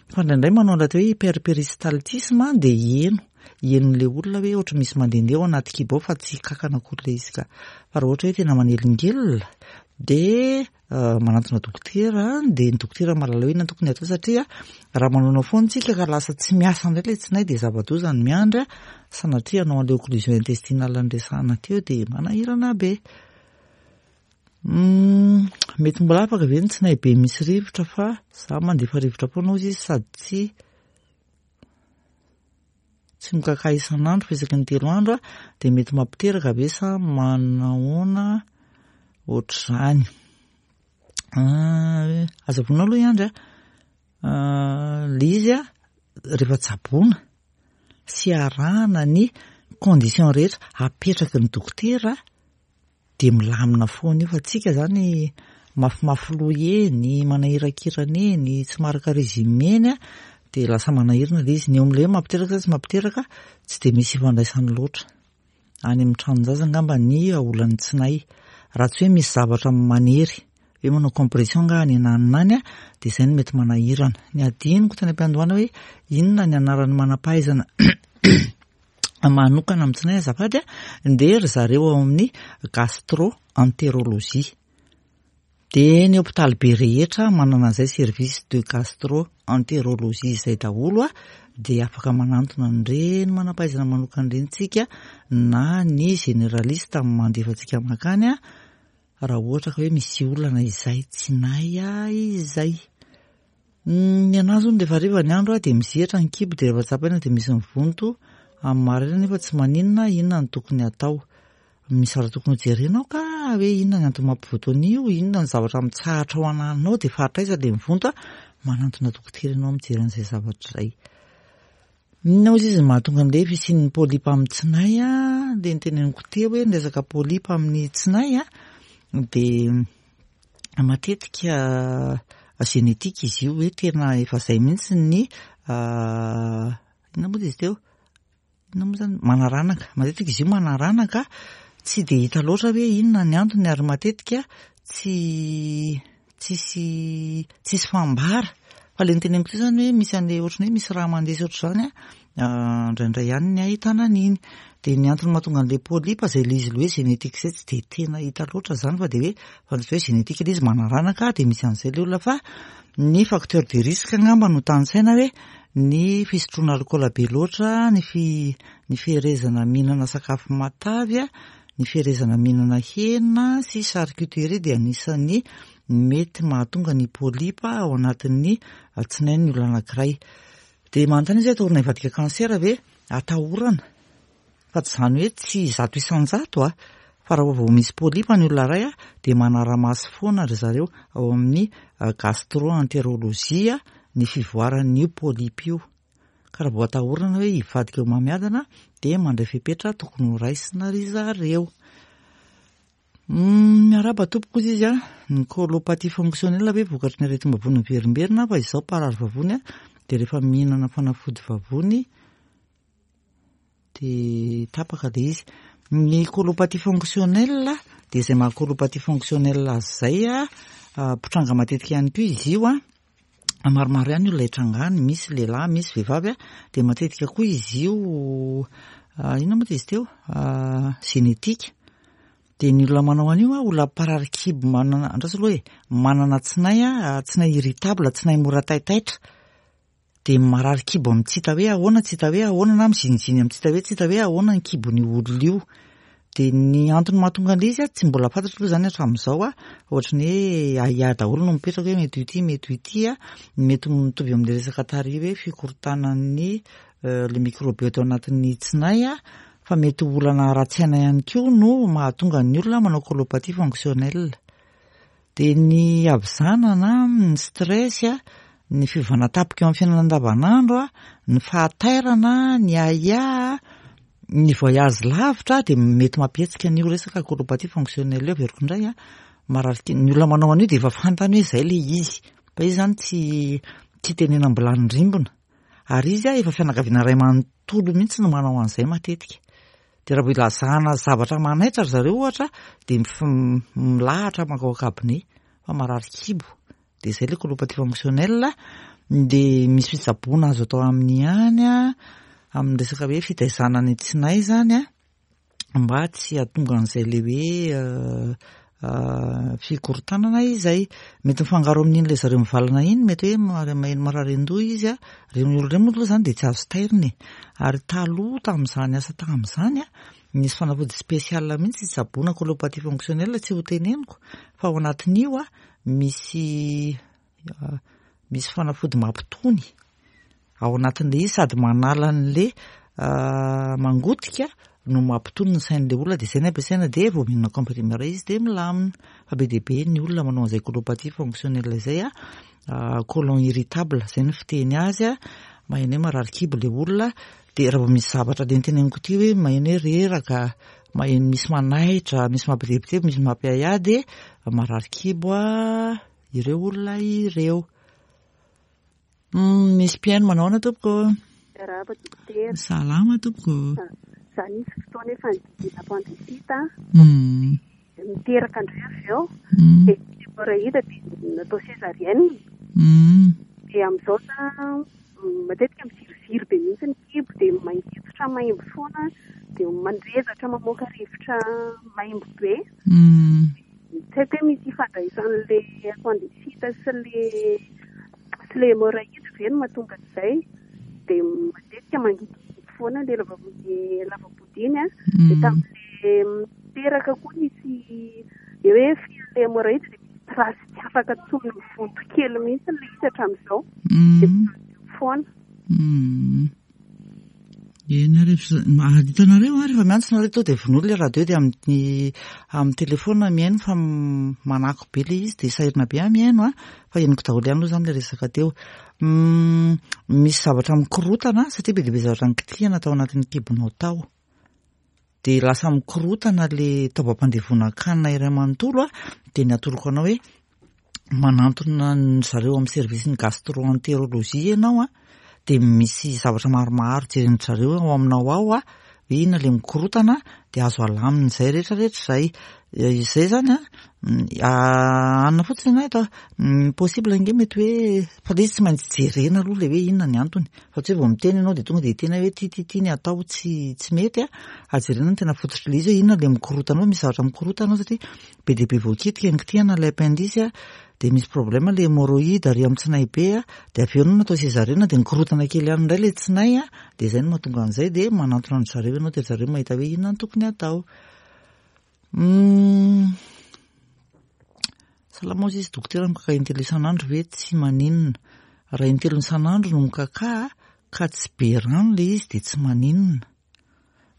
Fa indraindray manao ilay atao hoe hyperperistaltisme dia heno, henon'ilay olona hoe ohatry misy mandehandeha ao anaty kibo ao fa tsy kankana akory ilay izy ka. Fa raha ohatra hoe tena manelingelina dia manantona dokotera, dia ny dokotera mahalala hoe inona tokony atao, satria raha manaonao foana tsika ka lasa tsy miasa indray ilay tsinay dia zava-doza ny miandry, sanatria hanao an'ilay occlusion intestinale noresahana teo dia manahirana be. Mety mbola afaka ve ny tsinay be misy rivotra fa za mandefa rivotra foana ozy izy sady tsy tsy mikaka isan'andro fa isaky ny telo andro dia mety mampiteraka ve sa manahoana ohatr'izany? Aza vonoina aloha i Andry a. Ilay izy rehefa tsaboina sy arahana ny condition rehetra apetraky ny dokotera dia milamina foana io, fa tsika zany mafimafy loha eny, manahirakirana eny, tsy maharaka régime eny dia lasa manahirana ilay izy. Ny eo amin'ilay hoe mampiteraka sa tsy mampiteraka tsy dia misy ifandraisany loatra. Any amin'ny tranon-jaza angamba ny olan'ny tsinay. Raha tsy hoe misy zavatra manery hoe manao compression nga any ananona any dia izay no mety manahirana. Ny adinoko tany am-piandohana hoe inona ny anaran'ny manam-pahaizana manokana amin'ny tsinay azafady, dia ry zareo ao amin'ny gastro-entérologie. Dia ny hôpitaly be rehetra manana an'izay service de gastro-entérologie izay daholo, dia afaka manantona an'ireny manam-pahaizana manokana ireny tsika na ny généraliste mandefa antsika mankany raha ohatra ka hoe misy olana izay tsinay izay. Ny anazy hono rehefa hariva ny andro dia mizihatra ny kibo, dia rehefa tsapaina dia misy mivonto amin'ny maraina nefa tsy maninona. Inona no tokony atao? Misy zavatra tokony hojerena ao ka hoe inona ny antony mampivoto an'io, inona ny zavatra mitsahatra ao ananona ao, dia faritra aiza ilay mivonto. Manantona dokotera ianao mijery an'izay zavatra izay. Inona ozy izy mahatonga an'ilay fisian'ny polype amin'ny tsinay? Dia niteneniko teo hoe ny resaka polype amin'ny tsinay dia matetika génétique izy io, hoe tena efa izay mihitsy ny inona moa izy teo? inona moa zany, manaranaka. Matetika izy io manaranaka, tsy de hita loatra hoe inona ny antony ary matetika tsy tsisy tsisy fambara. Fa le niteneniko teo zany hoe misy an'le ohatran'ny hoe misy raha mandeha sy ohatr'izany a, indraindray ihany ny ahitana an'iny. De ny antony mahatonga an'le polype zay le izy le hoe génétique zay tsy de tena hita loatra zany fa de hoe fantatro hoe génétique le izy manaranaka de misy an'izay le olona, fa ny facteur de risque angamba no tanisaina hoe ny fisotroana alikaola be loatra, ny fi ny fiherezana mihinana sakafo matavy a, ny fiherezana mihinana hena sy charcuterie de anisan'ny mety mahatonga ny polype ao anatin'ny tsinain'ny olona anankiray. De manontany izy hoe atahorana hivadika cancer ve? Atahorana, fa tsy izany hoe tsy zato isan-jato a, fa raha vao misy polype ny olona iray a de manara-maso foana ry zareo ao amin'ny gastro-entérologie ny fivoaran'io polype io. Ka raha vao atahorana hoe hivadika homamiadana de mandray fepetra tokony ho raisina ry zareo. Miarahaba tompoko izy izy a, ny colopathie fonctionnelle ve vokatry ny aretim-bavony miverimberina fa izao mparary vavony a de rehefa mihinana fanafody vavony de tapaka le izy. Ny colopathie fonctionnelle de izay maha colopathie fonctionnelle azy zay a, mpitranga matetika ihany koa izy io a, maromaro ihany olona hitrangany, misy lehilahy, misy vehivavy a, de matetika koa izy io inona moa izy teo, génétique. De ny olona manao an'io a, olona mparary kibo manana, andraso aloha e, manana tsinay a, tsinay irritable, tsinay mora taitaitra, de marary kibo amin'ny tsy hita hoe ahoana, tsy hita hoe ahoana, na miziniziny amin'ny tsy hita hoe tsy hita hoe ahoana ny kibon'io olona io. De ny antony mahatonga an'ilay izy a, tsy mbola fantatro aloha zany hatramin'izao a, ohatran'ny hoe ahiahy daholo no mipetraka hoe mety ho ity, mety ho ity a, mety mitovy amin'ilay resaka tary hoe fikorontanan'ny le microbiote ao anatin'ny tsinay a, fa mety ho olana ara-tsaina ihany koa no mahatonga ny olona manao colopathie fonctionnelle. De ny havizanana, ny stress a, ny fiovana tampoka eo amin'ny fiainana andavanandro a, ny fahatairana, ny ahiahy, ny voyage lavitra de mety mampihetsika an'io resaka colopathie fonctionnelle io. Averiko indray a, marary ki- ny olona manao an'io de efa fantany hoe zay le izy, fa izy zany tsy tsy tenenam-bilany rimbona, ary izy a efa fianakaviana iray manontolo mihitsy no manao an'izay matetika. De raha vao ilazana zavatra manaitra ry zareo ohatra de mif- milahatra mankao an-cabinet fa marary kibo, de zay le colopathie fonctionnelle. De misy fitsaboana azo atao aminy ihany a, amin'ny resaka hoe fitaizana ny tsinay zany a, mba tsy hahatonga an'izay le hoe fikorontanana izay. Mety mifangaro amin'iny le zareo mivalana iny, mety hoe maheno marary an-doha izy a, reny olona ireny moa aloha zany de tsy azo tairina e. Ary taloha tamin'izany asa tamin'izany a, nisy fanafody spécial mihitsy hitsaboana colopathie fonctionnelle, tsy ho teneniko fa ao anatin'io a misy misy fanafody mampitony ao anatin'le izy, sady manala an'le mangotika no mampitony ny sain'le olona, de zay ny ampiasaina, de vao mihinana comprimé iray izy de milamina. Fa be dia be ny olona manao an'izay colopathie fonctionnelle izay a, colon irritable zay ny fiteny azy a, maheno hoe marary kibo le olona, de raha vao misy zavatra le niteneniko ty hoe maheno hoe reraka, maheno misy manaitra, misy mampitebiteby, misy mampiahiahy, de marary kibo a ireo olona ireo. Misy mpihaino manao ahoana tompoko? Miarahaba dokotera. Salama tompoko. Za nisy fotoana efa nididiana appendicite. Niteraka indray avy eo. De hémorroïde de natao césarienne. De amin'izao za matetika miziriziry be mihitsy ny kibo, de mangitsitra maimbo foana, de mandrezatra mamoaka rivotra maimbo be. Tsy haiko hoe misy ifandraisan'le appendicite sy le sy le hémorroïde ve no mahatonga an'izay. De matetika mangidihidy foana le lava- lava-body iny a. De tamin'le niteraka koa nisy le hoe le hémorroïde de misy trace tsy afaka intsony, mivonto kely mihitsy le izy hatramin'izao. De foana. Eny ary efa hitanareo a, rehefa miantso nareo to de vonoa le radio, de amin'ny amin'ny telefona mihaino fa manako be le izy de sahirana be aho mihaino a, fa henoko daholo ihany aloha zany le resaka teo. Misy zavatra mikorotana satria be dia be zavatra nikitihana tao anatin'ny kibonao tao, de lasa mikorotana le taovam-pandevonan-kanina iray manontolo a. De ny atoroko anao hoe manantona ny zareo amin'ny service ny gastro-entérologie ianao a, Dia misy zavatra maromaro jeren-dry zareo ao aminao ao a, hoe inona ilay mikorotana, dia azo alamina izay rehetrarehetra izay. Izay izany a, anona fotsiny ianao eto a, possible ange mety hoe fa ilay izy tsy maintsy jerena aloha ilay hoe inona ny antony, fa tsy hoe vao miteny ianao dia tonga dia hiteny hoe ty ty ty ny atao, tsy tsy mety a. Ary jerena ny tena fototr'ilay izy hoe inona ilay mikorotana ao, misy zavatra mikorotana ao satria be dia be voakitika ny kitihana ilay appendice a, dia misy problème ilay hémorroïde ary amin'ny tsinay be a, dia avy eo ianao natao césarienne dia nikorotana kely ihany indray ilay tsinay a, dia izay no mahatonga an'izay, dia manantona an-dry zareo ianao dia ry zareo mahita hoe inona no tokony atao. Salama hozy izy dokotera, mikaka intelo isan'andro ve tsy maninona? Raha intelo isan'andro no mikaka ka tsy be rano ilay izy dia tsy maninona,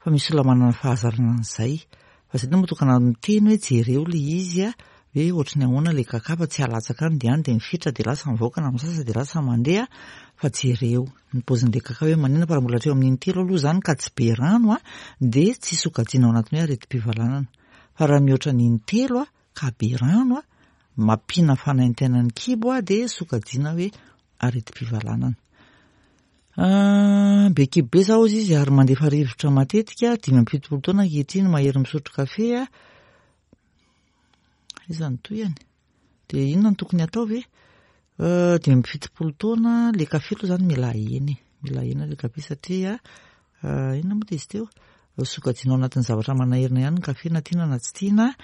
fa misy olona manana fahazarana an'izay. Fa izay no mahatonga miteny hoe jereo ilay izy a, hoe ohatry ny ahoana ilay kaka fa tsy alatsaka any dia any dia mifitra dia lasa mivoaka na misasa dia lasa mandeha, fa jereo ny paozin'ilay kaka hoe maninona. Fa raha mbola hatreo amin'ny intelo aloha izany ka tsy be rano a, dia tsy sokajiana ao anatin'ny hoe aretim-pivalanana. Fa raha mihoatra ny intelo a ka be rano a, mampiana fanaintainan'ny kibo a, dia sokajiana hoe aretim-pivalanana. Be kibo be zaho izy izy ary mandefa rivotra matetika, dimy amby fitopolo taona ankehitriny, mahery misotro kafe a. Iza no tohiny? Dia inona no tokony atao ve? Dimy amby fitopolo taona, le kafe aloha izany mila ahena e, mila ahena le kafe satria inona moa izy teo? Sokajiana ao anatin'ny zavatra manahirana ihany ny kafe na tiana na tsy tiana.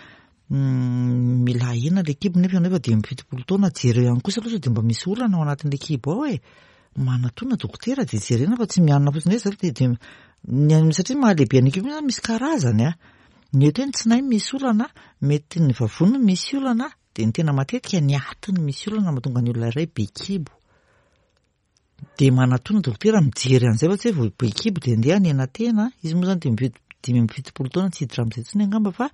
Mila ahena le kibo nefa ianao efa dimy amby fitopolo taona, jereo ihany kosa aloha sao dia mba misy olana ao anatin'le kibo ao e. Manatona dokotera dia jerena fa tsy mianona fotsiny hoe zay dia ny satria mahalehibe an'io kibo io zany misy karazany a. Mety hoe ny tsinay misy olana, mety ny vavony misy olana, dia ny tena matetika ny atiny misy olana mahatonga ny olona iray be kibo. Dia manatona dokotera mijery an'izay fa tsy hoe vao be kibo dia andeha hanena tena. Izy moa zany dimy dimy amby fitopolo taona tsy hiditra amin'izay intsony angamba fa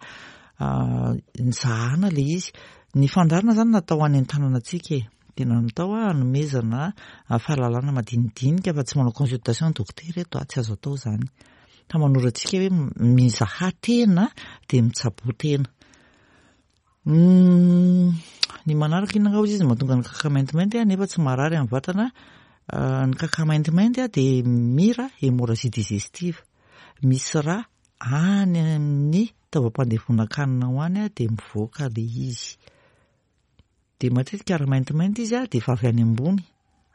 nizahana ilay izy. Ny fandaharana zany natao any an-tanana antsika e. Tena natao hanomezana fahalalana madinidinika fa tsy manao consultation dokotera eto a, tsy azo atao izany. Fa manoro antsika hoe mizaha tena dia mitsaboa tena. Ny manaraka inona angamba izy mahatonga ny kaka maintimainty nefa tsy marary amin'ny vatana. Ny kaka maintimainty dia mira hémorragie digestive. Misy rà any amin'ny taovam-pandevonan-kanina ao any dia mivoaka ilay izy. Dia matetika raha maintimainty izy dia efa avy any ambony,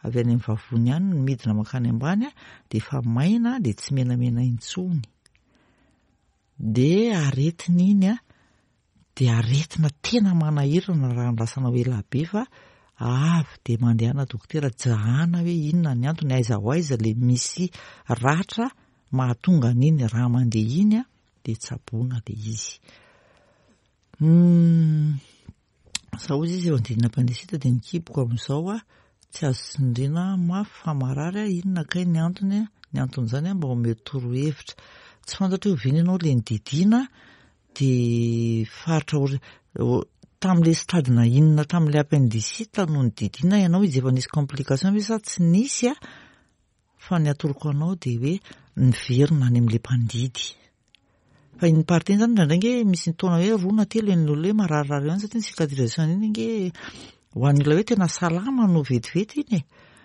avy any amin'ny vavony any no midina mankany ambany dia efa maina dia tsy menamena intsony. Dia aretina iny a, dia aretina tena manahirana raha andrasanao ela be fa avy dia mandehana dokotera jahana hoe inona ny antony, aiza ho aiza ilay misy ratra mahatonga an'iny raha mandeha iny a, dia tsaboina ilay izy. Zaho izy izy eo andinina appendicite dia ny kiboko amin'izao a, tsy azo tsindriana mafy fa marary a, inona kay ny antony a, ny anton'izany a mba omeo torohevitra. Tsy fantatro hoe oviana ianao ilay nididiana dia faritra tamin'ilay stade na inona tamin'ilay appendicite no nididiana ianao, izy efa nisy complication ve sa tsy nisy a? Fa ny atoroko anao dia hoe miverina any amin'ilay mpandidy. Fa iny partie iny zany indraindray ange misy taona hoe roa na telo eny olona hoe mararirary ihany satria ny cicatrisation iny ange ho an'ny olona hoe tena salama no vetivety iny e.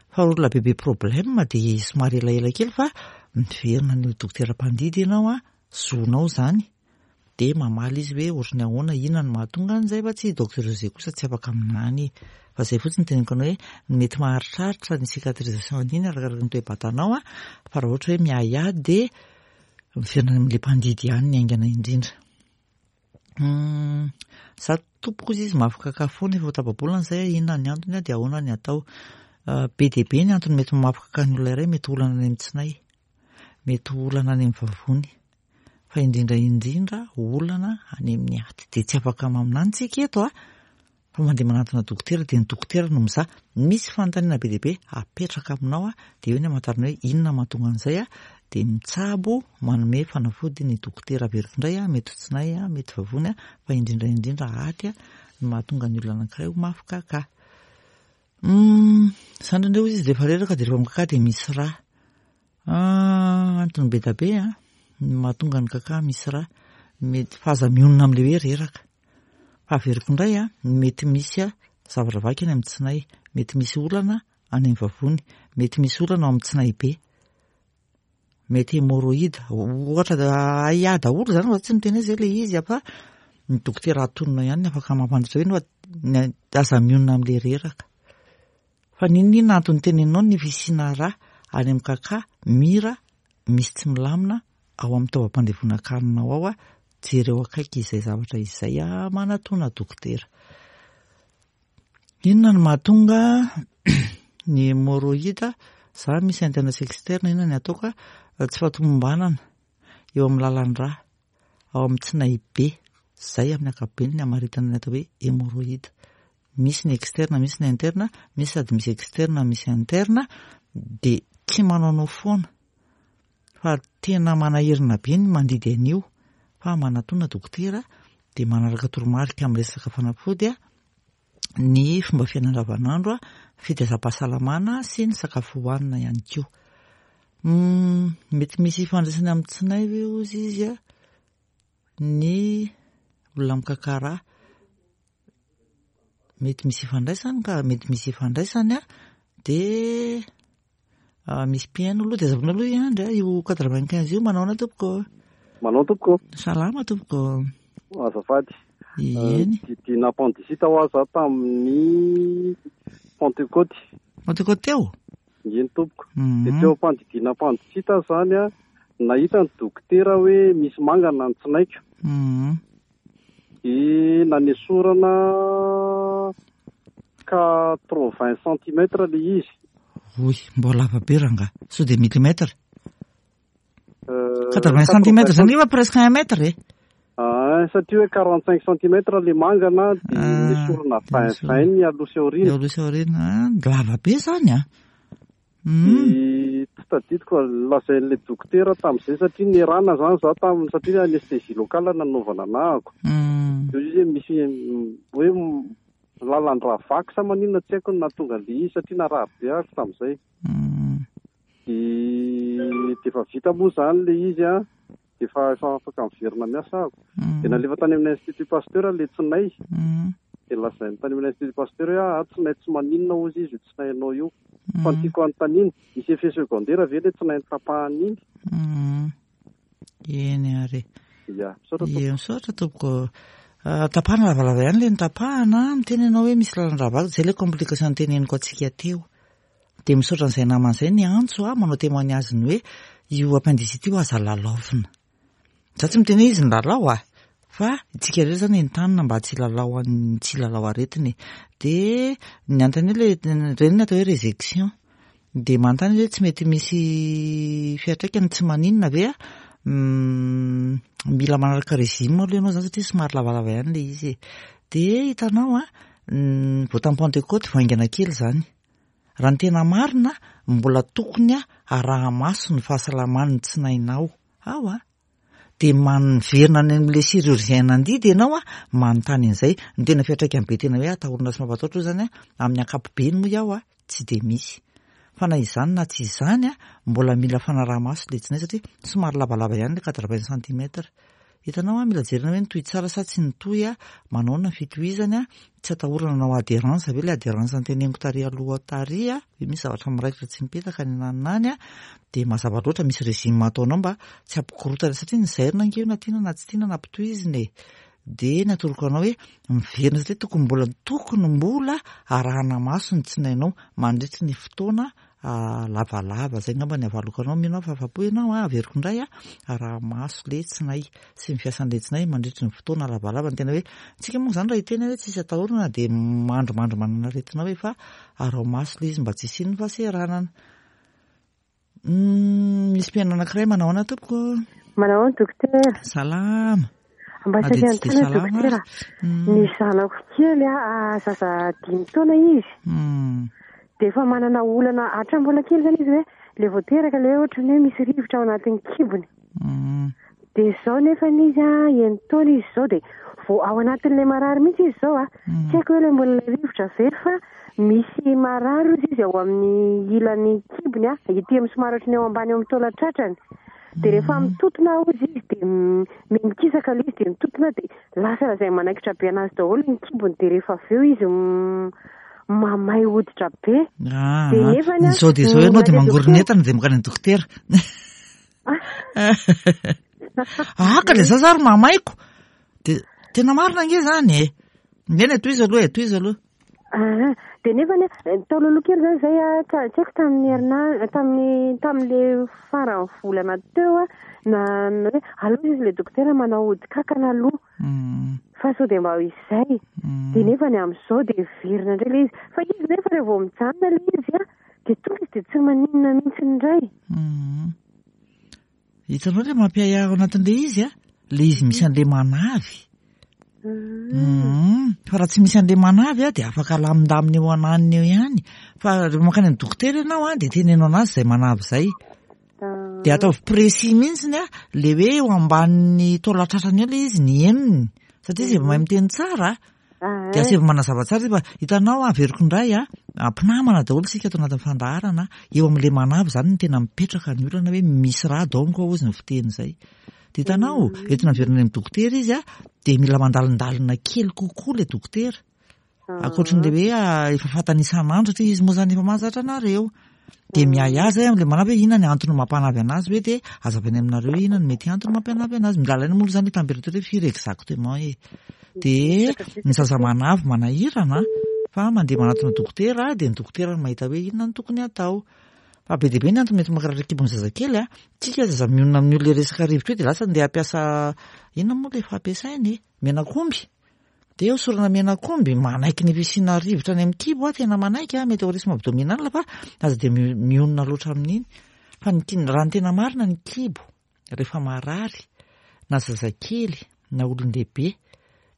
Fa olona bebe problème dia somary elaela kely fa miverina any dokotera mpandidy ianao a, zonao zany. Dia mamaly izy hoe ohatry ny ahoana, inona no mahatonga an'izay fa tsy docteur José kosa tsy afaka aminany. Fa izay fotsiny teneniko anao hoe mety maharitraritra ny cicatrisation iny arakaraka ny toe-batanao a, fa raha ohatra hoe miahiahy dia miverina amin'ilay mpandidy ihany ny haingana indrindra. Za tompoko izy izy mafy kaka foana efa ho tapa-bolana izay, inona ny antony dia ahoana ny atao. Be dia be ny antony mety mafy kaka ny olona iray, mety olana any amin'ny tsinay, mety olana any amin'ny vavony, fa indrindra indrindra olana any amin'ny aty. Dia tsy afaka maminany tsika eto a, fa mandeha manantona dokotera dia ny dokotera no mizaha. Misy fanontaniana be dia be apetraka aminao a, dia eo ny hamantarana hoe inona mahatonga an'izay a, dia mitsabo manome fanafody ny dokotera. Averiko indray a, mety ho tsinay a, mety vavony a, fa indrindra indrindra aty a no mahatonga ny olona anankiray ho mafy kaka. Izany indray hozy izy rehefa reraka dia rehefa mikaka dia misy rà. Antony be dia be a ny mahatonga ny kaka misy rà. Mety fa aza mionona amin'ilay hoe reraka. Fa averiko indray a, mety misy a zavatra vaky any amin'ny tsinay, mety misy olana any amin'ny vavony, mety misy olana ao amin'ny tsinay be, mety hémorroïde, ohatra aia daholo zany, fa tsy miteny hoe zay le izy fa ny dokotera atonina ihany ny afaka mampandritra hoe no aza mionona amin'le reraka. Fa n'inon'inona antony teneninao ny fisiana rà any amin'ny kaka, mira misy tsy milamina ao amin'ny taovam-pandevonan-kaninao ao a, jereo akaiky izay zavatra izay a, manatona dokotera. Inona no mahatonga ny hémorroïde? Za misy interne sy externe, inona ny ataoko a? Tsy fahatomombanana eo amin'ny lalan-drà, ao amin'ny tsinay be, zay amin'ny ankapobeny ny hamaritana ny atao hoe hémorroïde. Misy ny externe, misy ny interne, misy sady misy externe, misy interne, de tsy manaonao foana fa tena manahirana be ny mandidy an'io, fa manatona dokotera de manaraka toromarika amin'ny resaka fanafody a, ny fomba fiainana andavanandro a, fitaizam-pahasalamana sy ny sakafo hohanina ihany koa. Mety misy ifandraisany amin'ny tsinay ve ozy izy a, ny olona mikakara? Mety misy ifandraisany ka, mety misy ifandraisany a, de misy mpihaino aloha, de azavina aloha i Andry a, io quatre-vingt-quinze io. Manao ahoana tompoko? Manao tompoko. Salama tompoko. Azafady. Eny. Didina appendicite ho aho za tamin'ny Pentecôte. Pentecôte teo? Eny tompoko. De teo am-pandidiana appendicite zany a, nahita ny dokotera hoe misy mangana ny tsinaiko. De nanesorana quatre-vingts centimètres le izy. Oy, mbola lava be rangahy. Sao de millimètre? Quatre-vingts centimètres zany efa presque un mètre e. Ah, satria hoe quarante-cinq centimètres le mangana, de nesorana vingt vingt ny aloha sy aoriana. Aloha sy aoriana, lava be zany a. De tsy tadidiko lazain'le dokotera tamin'izay satria nierana zany za taminy, satria anesthésie locale nanaovana anahako. De izy hoe misy hoe lalan-drà vaky sa maninona tsy haiko no nahatonga an'le izy satria narary be aho tamin'izay. De de efa vita moa zany le izy a, de efa efa afaka miverina miasa aho. De nalefa tany amin'ny Institut Pasteur le tsinay. De lazainy tany amin'ny Institut Pasteur hoe ah, tsinay tsy maninona hozy izy io tsinainao io. Fa ny tiako anontaniana, misy effet secondaire ve le tsinay notapahana iny? Eny ary. Ya, misaotra tompoko. Ie, misaotra tompoko. Tapahana lavalava ihany le notapahana, miteny ianao hoe misy lalan-drà vaky, zay le complication noteneniko antsika teo. De misaotra an'izay namana izay ny antso a, manao témoignage ny hoe io appendicite io aza lalaovina. Za tsy miteny hoe izy nilalao a, fa isika rehetra zany entanina mba tsy hilalao an-, tsy hilalao aretina e. De ny antony hoe le reny ny atao hoe résection. De manontany hoe tsy mety misy fiantraikany, tsy maninona ve a? Mila manaraka régime aloha ianao zany satria somary lavalava ihany le izy e. De hitanao a, vao tamin'ny Pentecôte vaingana kely zany. Raha ny tena marina, mbola tokony araha-maso ny fahasalaman'ny tsinainao ao a. De miverina any amin'le chirurgien nandidy ianao a, manontany an'izay. Ny tena fiantraikany be tena hoe atahorana sy mampatahotra io zany a, amin'ny ankapobeny moa iaho a, tsy de misy. Fa na izany na tsy izany a, mbola mila fanaraha-maso le tsinay satria somary lavalava ihany le quatre-vingts centimètres. Hitanao a, mila jerena hoe nitohy tsara sa tsy nitohy a, manao na fitohizany a, tsy atahorana hanao adhérence ve le adhérence noteneniko tary aloha tary a, hoe misy zavatra miraikitra tsy mipetaka any ananona any a, de mazava loatra misy régime ataonao mba tsy hampikorotana satria ny zairina ange io na tiana na tsy tiana na ampitohizina e. De ny atoroko anao hoe miverina satria tokony mbola tokony mbola arahana maso ny tsinainao mandritry ny fotoana lavalava. Zay angamba ny avaloko anao, mino aho fa afa-po ianao a, averiko indray a, araha maso le tsinay sy ny fiasan'le tsinay mandritry ny fotoana lavalava. Ny tena hoe tsika moa zany raha hiteny hoe tsisy atahorana de mandrimandry manana aretina hoe fa araho maso le izy mba tsy hisian'ny fahaseranana. Misy mpihaino anankiray. Manao ahoana tompoko? Manao ahoana dokotera? Salama. Mba saika anontany dokotera. Ny zanako kely a, zaza dimy taona izy. De efa manana olana hatramin'ny mbola kely zany izy hoe le vao teraka le ohatrany hoe misy rivotra ao anatin'ny kibony. De izao nefa izy a, enina taona izy izao de vao ao anatin'ilay marary mihitsy izy izao a. Tsy haiko hoe le mbola rivotra ve fa misy marary izy izy ao amin'ny ilan'ny kibony a, ety amin'ny somary ohatrany eo ambany eo amin'ny taolan-tratrany. De rehefa mitotona hozy izy de mikisaka ilay izy de mitotona de lasa lazay manaikitra be anazy daholo ny kibony, de rehefa avy eo izy mamay hoditra be. Ah, Dia nefany a, izao dia izao ianao dia mandeha mangoron'entana dia mankany amin'ny dokotera. Ah, ka ilay zaza ary mamaiko. Dia tena marina ange izany e. Neny, tohizo aloha e, tohizo aloha. Ah, dia nefany a, tao aloha kely zany zay a, ta-, tsy haiko tamin'ny herinandro, tamin'ny, tamin'le faran'ny volana teo a, na, na hoe aloha izy le dokotera manao ody kankana aloha. Mm. Fa sao dia mba ho izay. Mm. Dia nefany amin'izao dia miverina indray ilay izy. Fa izy nefa rehefa vao mijanona ilay izy a, dia tonga izy dia tsy maninona mihitsy indray. Mm. Hitanao ilay mampiahiahy ao anatin'ilay izy a, ilay izy misy an'ilay manavy. Mm. Mm. Fa raha tsy misy an'ilay manavy a, dia afaka alamindamina eo ananiny eo ihany. Fa rehefa mankany amin'ny dokotera ianao a, dia teneno anazy izay manavy izay. Ah. Dia ataovy précis mihitsiny a, ilay hoe eo ambanin'ny taolan-tratrany eo ilay izy, ny henony. Satria izy efa mahay miteny tsara. Ah. Dia asaivo manazava tsara izy fa hitanao a, averiko indray a, mpinamana daholo isika ato anatin'ny fandaharana. Eo amin'ilay manavy izany no tena mipetraka ny olana hoe misy rà donc hozy ny fiteny izay. Dia hitanao, Mm. entina averina any amin'ny dokotera izy a, dia mila mandalindalina kely kokoa ilay dokotera. Ah. Ankoatran'ilay hoe, ah, efa fantany isan'andro satria izy moa izany efa mahazatra anareo. Dia miahiahy izay amin'ilay manavy hoe inona ny antony mampanavy anazy hoe dia azavaina aminareo hoe inona no mety antony mampanavy anazy. Mila alaina moa izany température hoe firy exactement e. Dia ny zaza manavy manahirana fa mandeha manatona dokotera dia ny dokotera no mahita hoe inona no tokony hatao. Fa be dia be ny antony mety mankarary kibon'ny zazakely a. Tsika zaza mionona amin'ny olona resaka rivotra io dia lasa andeha hampiasa inona moa ilay fampiasainy e? Menak'omby. Dia hosorana menak'omby manaiky ny fisiana rivotra any amin'ny kibo a, tena manaiky a, mety ho risque abdominal fa aza dia mi-, mionona loatra amin'iny. Fa ny ki-, raha ny tena marina ny kibo rehefa marary na zazakely na olon-dehibe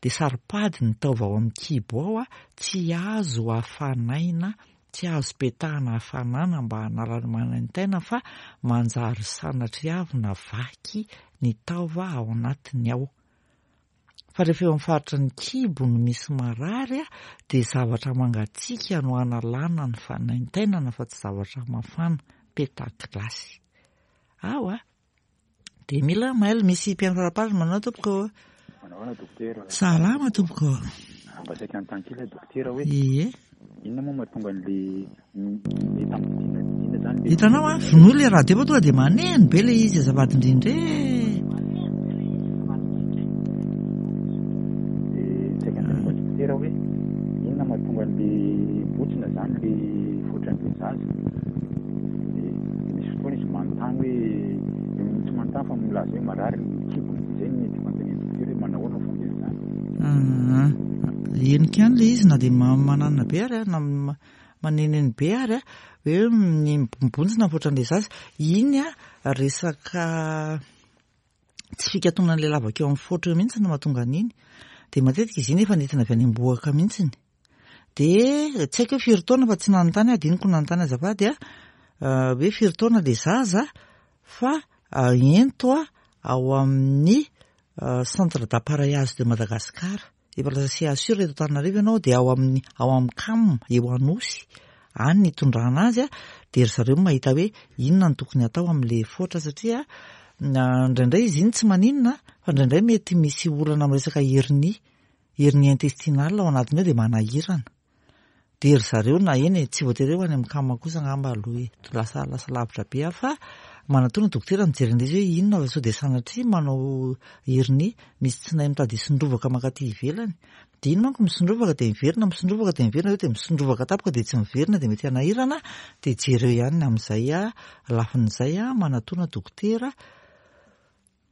dia saro-pady ny taova ao amin'ny kibo ao a, tsy azo hafanaina, tsy azo petahana hafanana mba hanala ny manaintaina fa manjary sanatriavina vaky ny taova ao anatiny ao. Fa rehefa eo amin'ny faritra ny kibo no misy marary a, dia zavatra mangatsiaka no hanalana ny fanaintainana fa tsy zavatra mafana, peta-gilasy. Ao a, dia mila mail misy mpihaino faraparany manao tompoko. Manahoana dokotera? Salama tompoko. Mba saika anontany kely aho dokotera hoe Ie. inona moa mahatonga an'le le tamin'ny dina zany le Hitanao a, vonoy ilay radio fa tonga dia maneno be ilay izy azafady indrindra e. Dia saika anontany koa dokotera hoe inona mahatonga an'le botsina zany le voatran'le zaza. Dia misy fotoana izy manontany hoe tsy manontany fa milaza hoe marary ny kibony. Izay no mety fanontanian'ny dokotera hoe manahoana ny fomba izany. Ah, henoko ihany ilay izy na dia ma-, mananona be ary a, na ma-, maneneno be ary a, hoe ny mibontsina voatran'ilay zaza. Iny a, resaka tsy fikatonan'ilay lavaka eo amin'ny foatra eo mihitsy no mahatonga an'iny. Dia matetika izy iny efa nentina avy any am-bohoka mihitsiny. Dia tsy haiko hoe firy taona fa tsy nanontany aho, adinoko nanontany azafady a, ah, hoe firy taona ilay zaza fa, ah, ento a, ao amin'ny, ah, centre d'appareillage de Madagascar. Efa lasa C H U reto Antananarivo ianao dia ao amin'ny, ao amin'ny C A M eo Anosy. Any ny hitondrana azy a, dia ry zareo mahita hoe inona no tokony hatao amin'ilay foatra satria na indraindray izy iny tsy maninona fa indraindray mety misy olana amin'ny resaka hernie, hernie intestinale ao anatiny ao dia manahirana. Dia ry zareo na eny e, tsy voatery ho any amin'ny C A M kosa angamba aloha e, lasa, lasa lavitra be aho fa manatona dokotera mijery an'ilay izy hoe inona fa sao dia sanatria manao hernie, misy tsinay mitady hisondrovaka mankaty ivelany. Dia iny manko misondrovaka dia miverina, misondrovaka dia miverina, dia misondrovaka tampoka dia tsy miverina dia mety hanahirana, dia jereo ihany amin'izay a, lafin'izay a, manatona dokotera.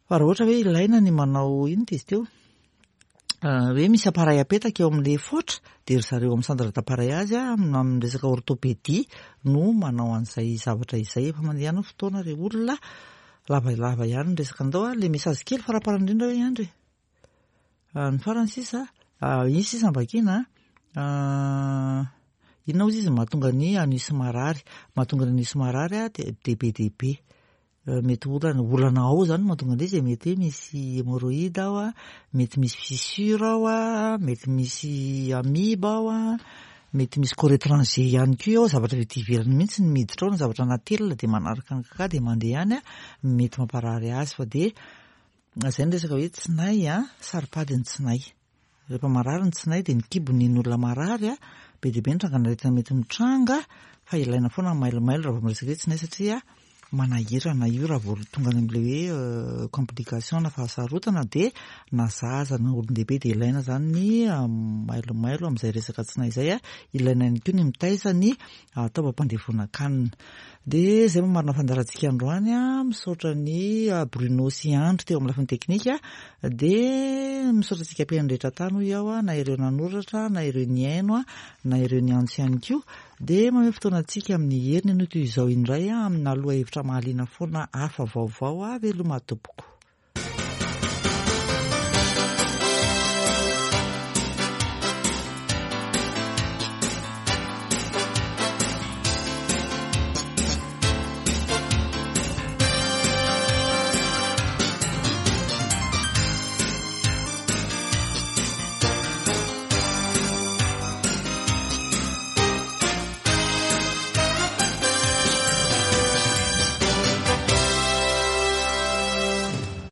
Fa raha ohatra hoe ilaina ny manao inona izy teo? Ah, hoe misy appareil apetaka eo amin'ilay foatra, dia ry zareo amin'ny centre d'appareillage a, amin'ny, amin'ny resaka orthopédie no manao an'izay zavatra izay. Efa mandeha ihany ny fotoana ry olona, lavalava ihany ny resaka andao a, ilay message kely faraparany indrindra hoe Andry. Ah, ny farany sisa, ah, iny sisa ambakina, ah, inona hozy izy mahatonga ny anus marary. Mahatonga ny anus marary a, dia, dia be dia be. Eh, mety olana, olana ao zany mahatonga an'ilay izy, mety hoe misy hémorroïde ao a, mety misy fissure ao a, mety misy amibe ao a, mety misy corps étranger ihany koa ao, zavatra avy aty ivelany mihitsy ny miditra ao, na zavatra anaty dia manaraka ny kaka dia mandeha ihany a, mety mamparary azy fa dia zay ny resaka hoe tsinay a, saro-pady ny tsinay. Rehefa marary ny tsinay dia ny kibony ny olona marary a, be dia be ny trangan'aretina mety mitranga, fa ilaina foana ny mailomailo raha vao miresaka hoe tsinay satria manahirana io raha vao tonga any amin'ilay hoe complication na fahasarotana, dia na zaza na olon-dehibe dia ilaina zany ny mailomailo amin'izay resaka tsinay izay a. Ilaina ihany koa ny mitaiza ny taovam-pandevonan-kanina. Dia izay mamarina fandaharantsika androany a, misaotra ny Bruno sy Andry teo amin'ny lafiny teknika, dia misaotra antsika mpihaino rehetra tany hoy aho a, na ireo nanoratra na ireo nihaino a, na ireo niantso ihany koa. Dia mamehy fotoana antsika amin'ny heriny anio toy izao indray a, amina lohahevitra mahaliana foana hafa vaovao a. Veloma tompoko.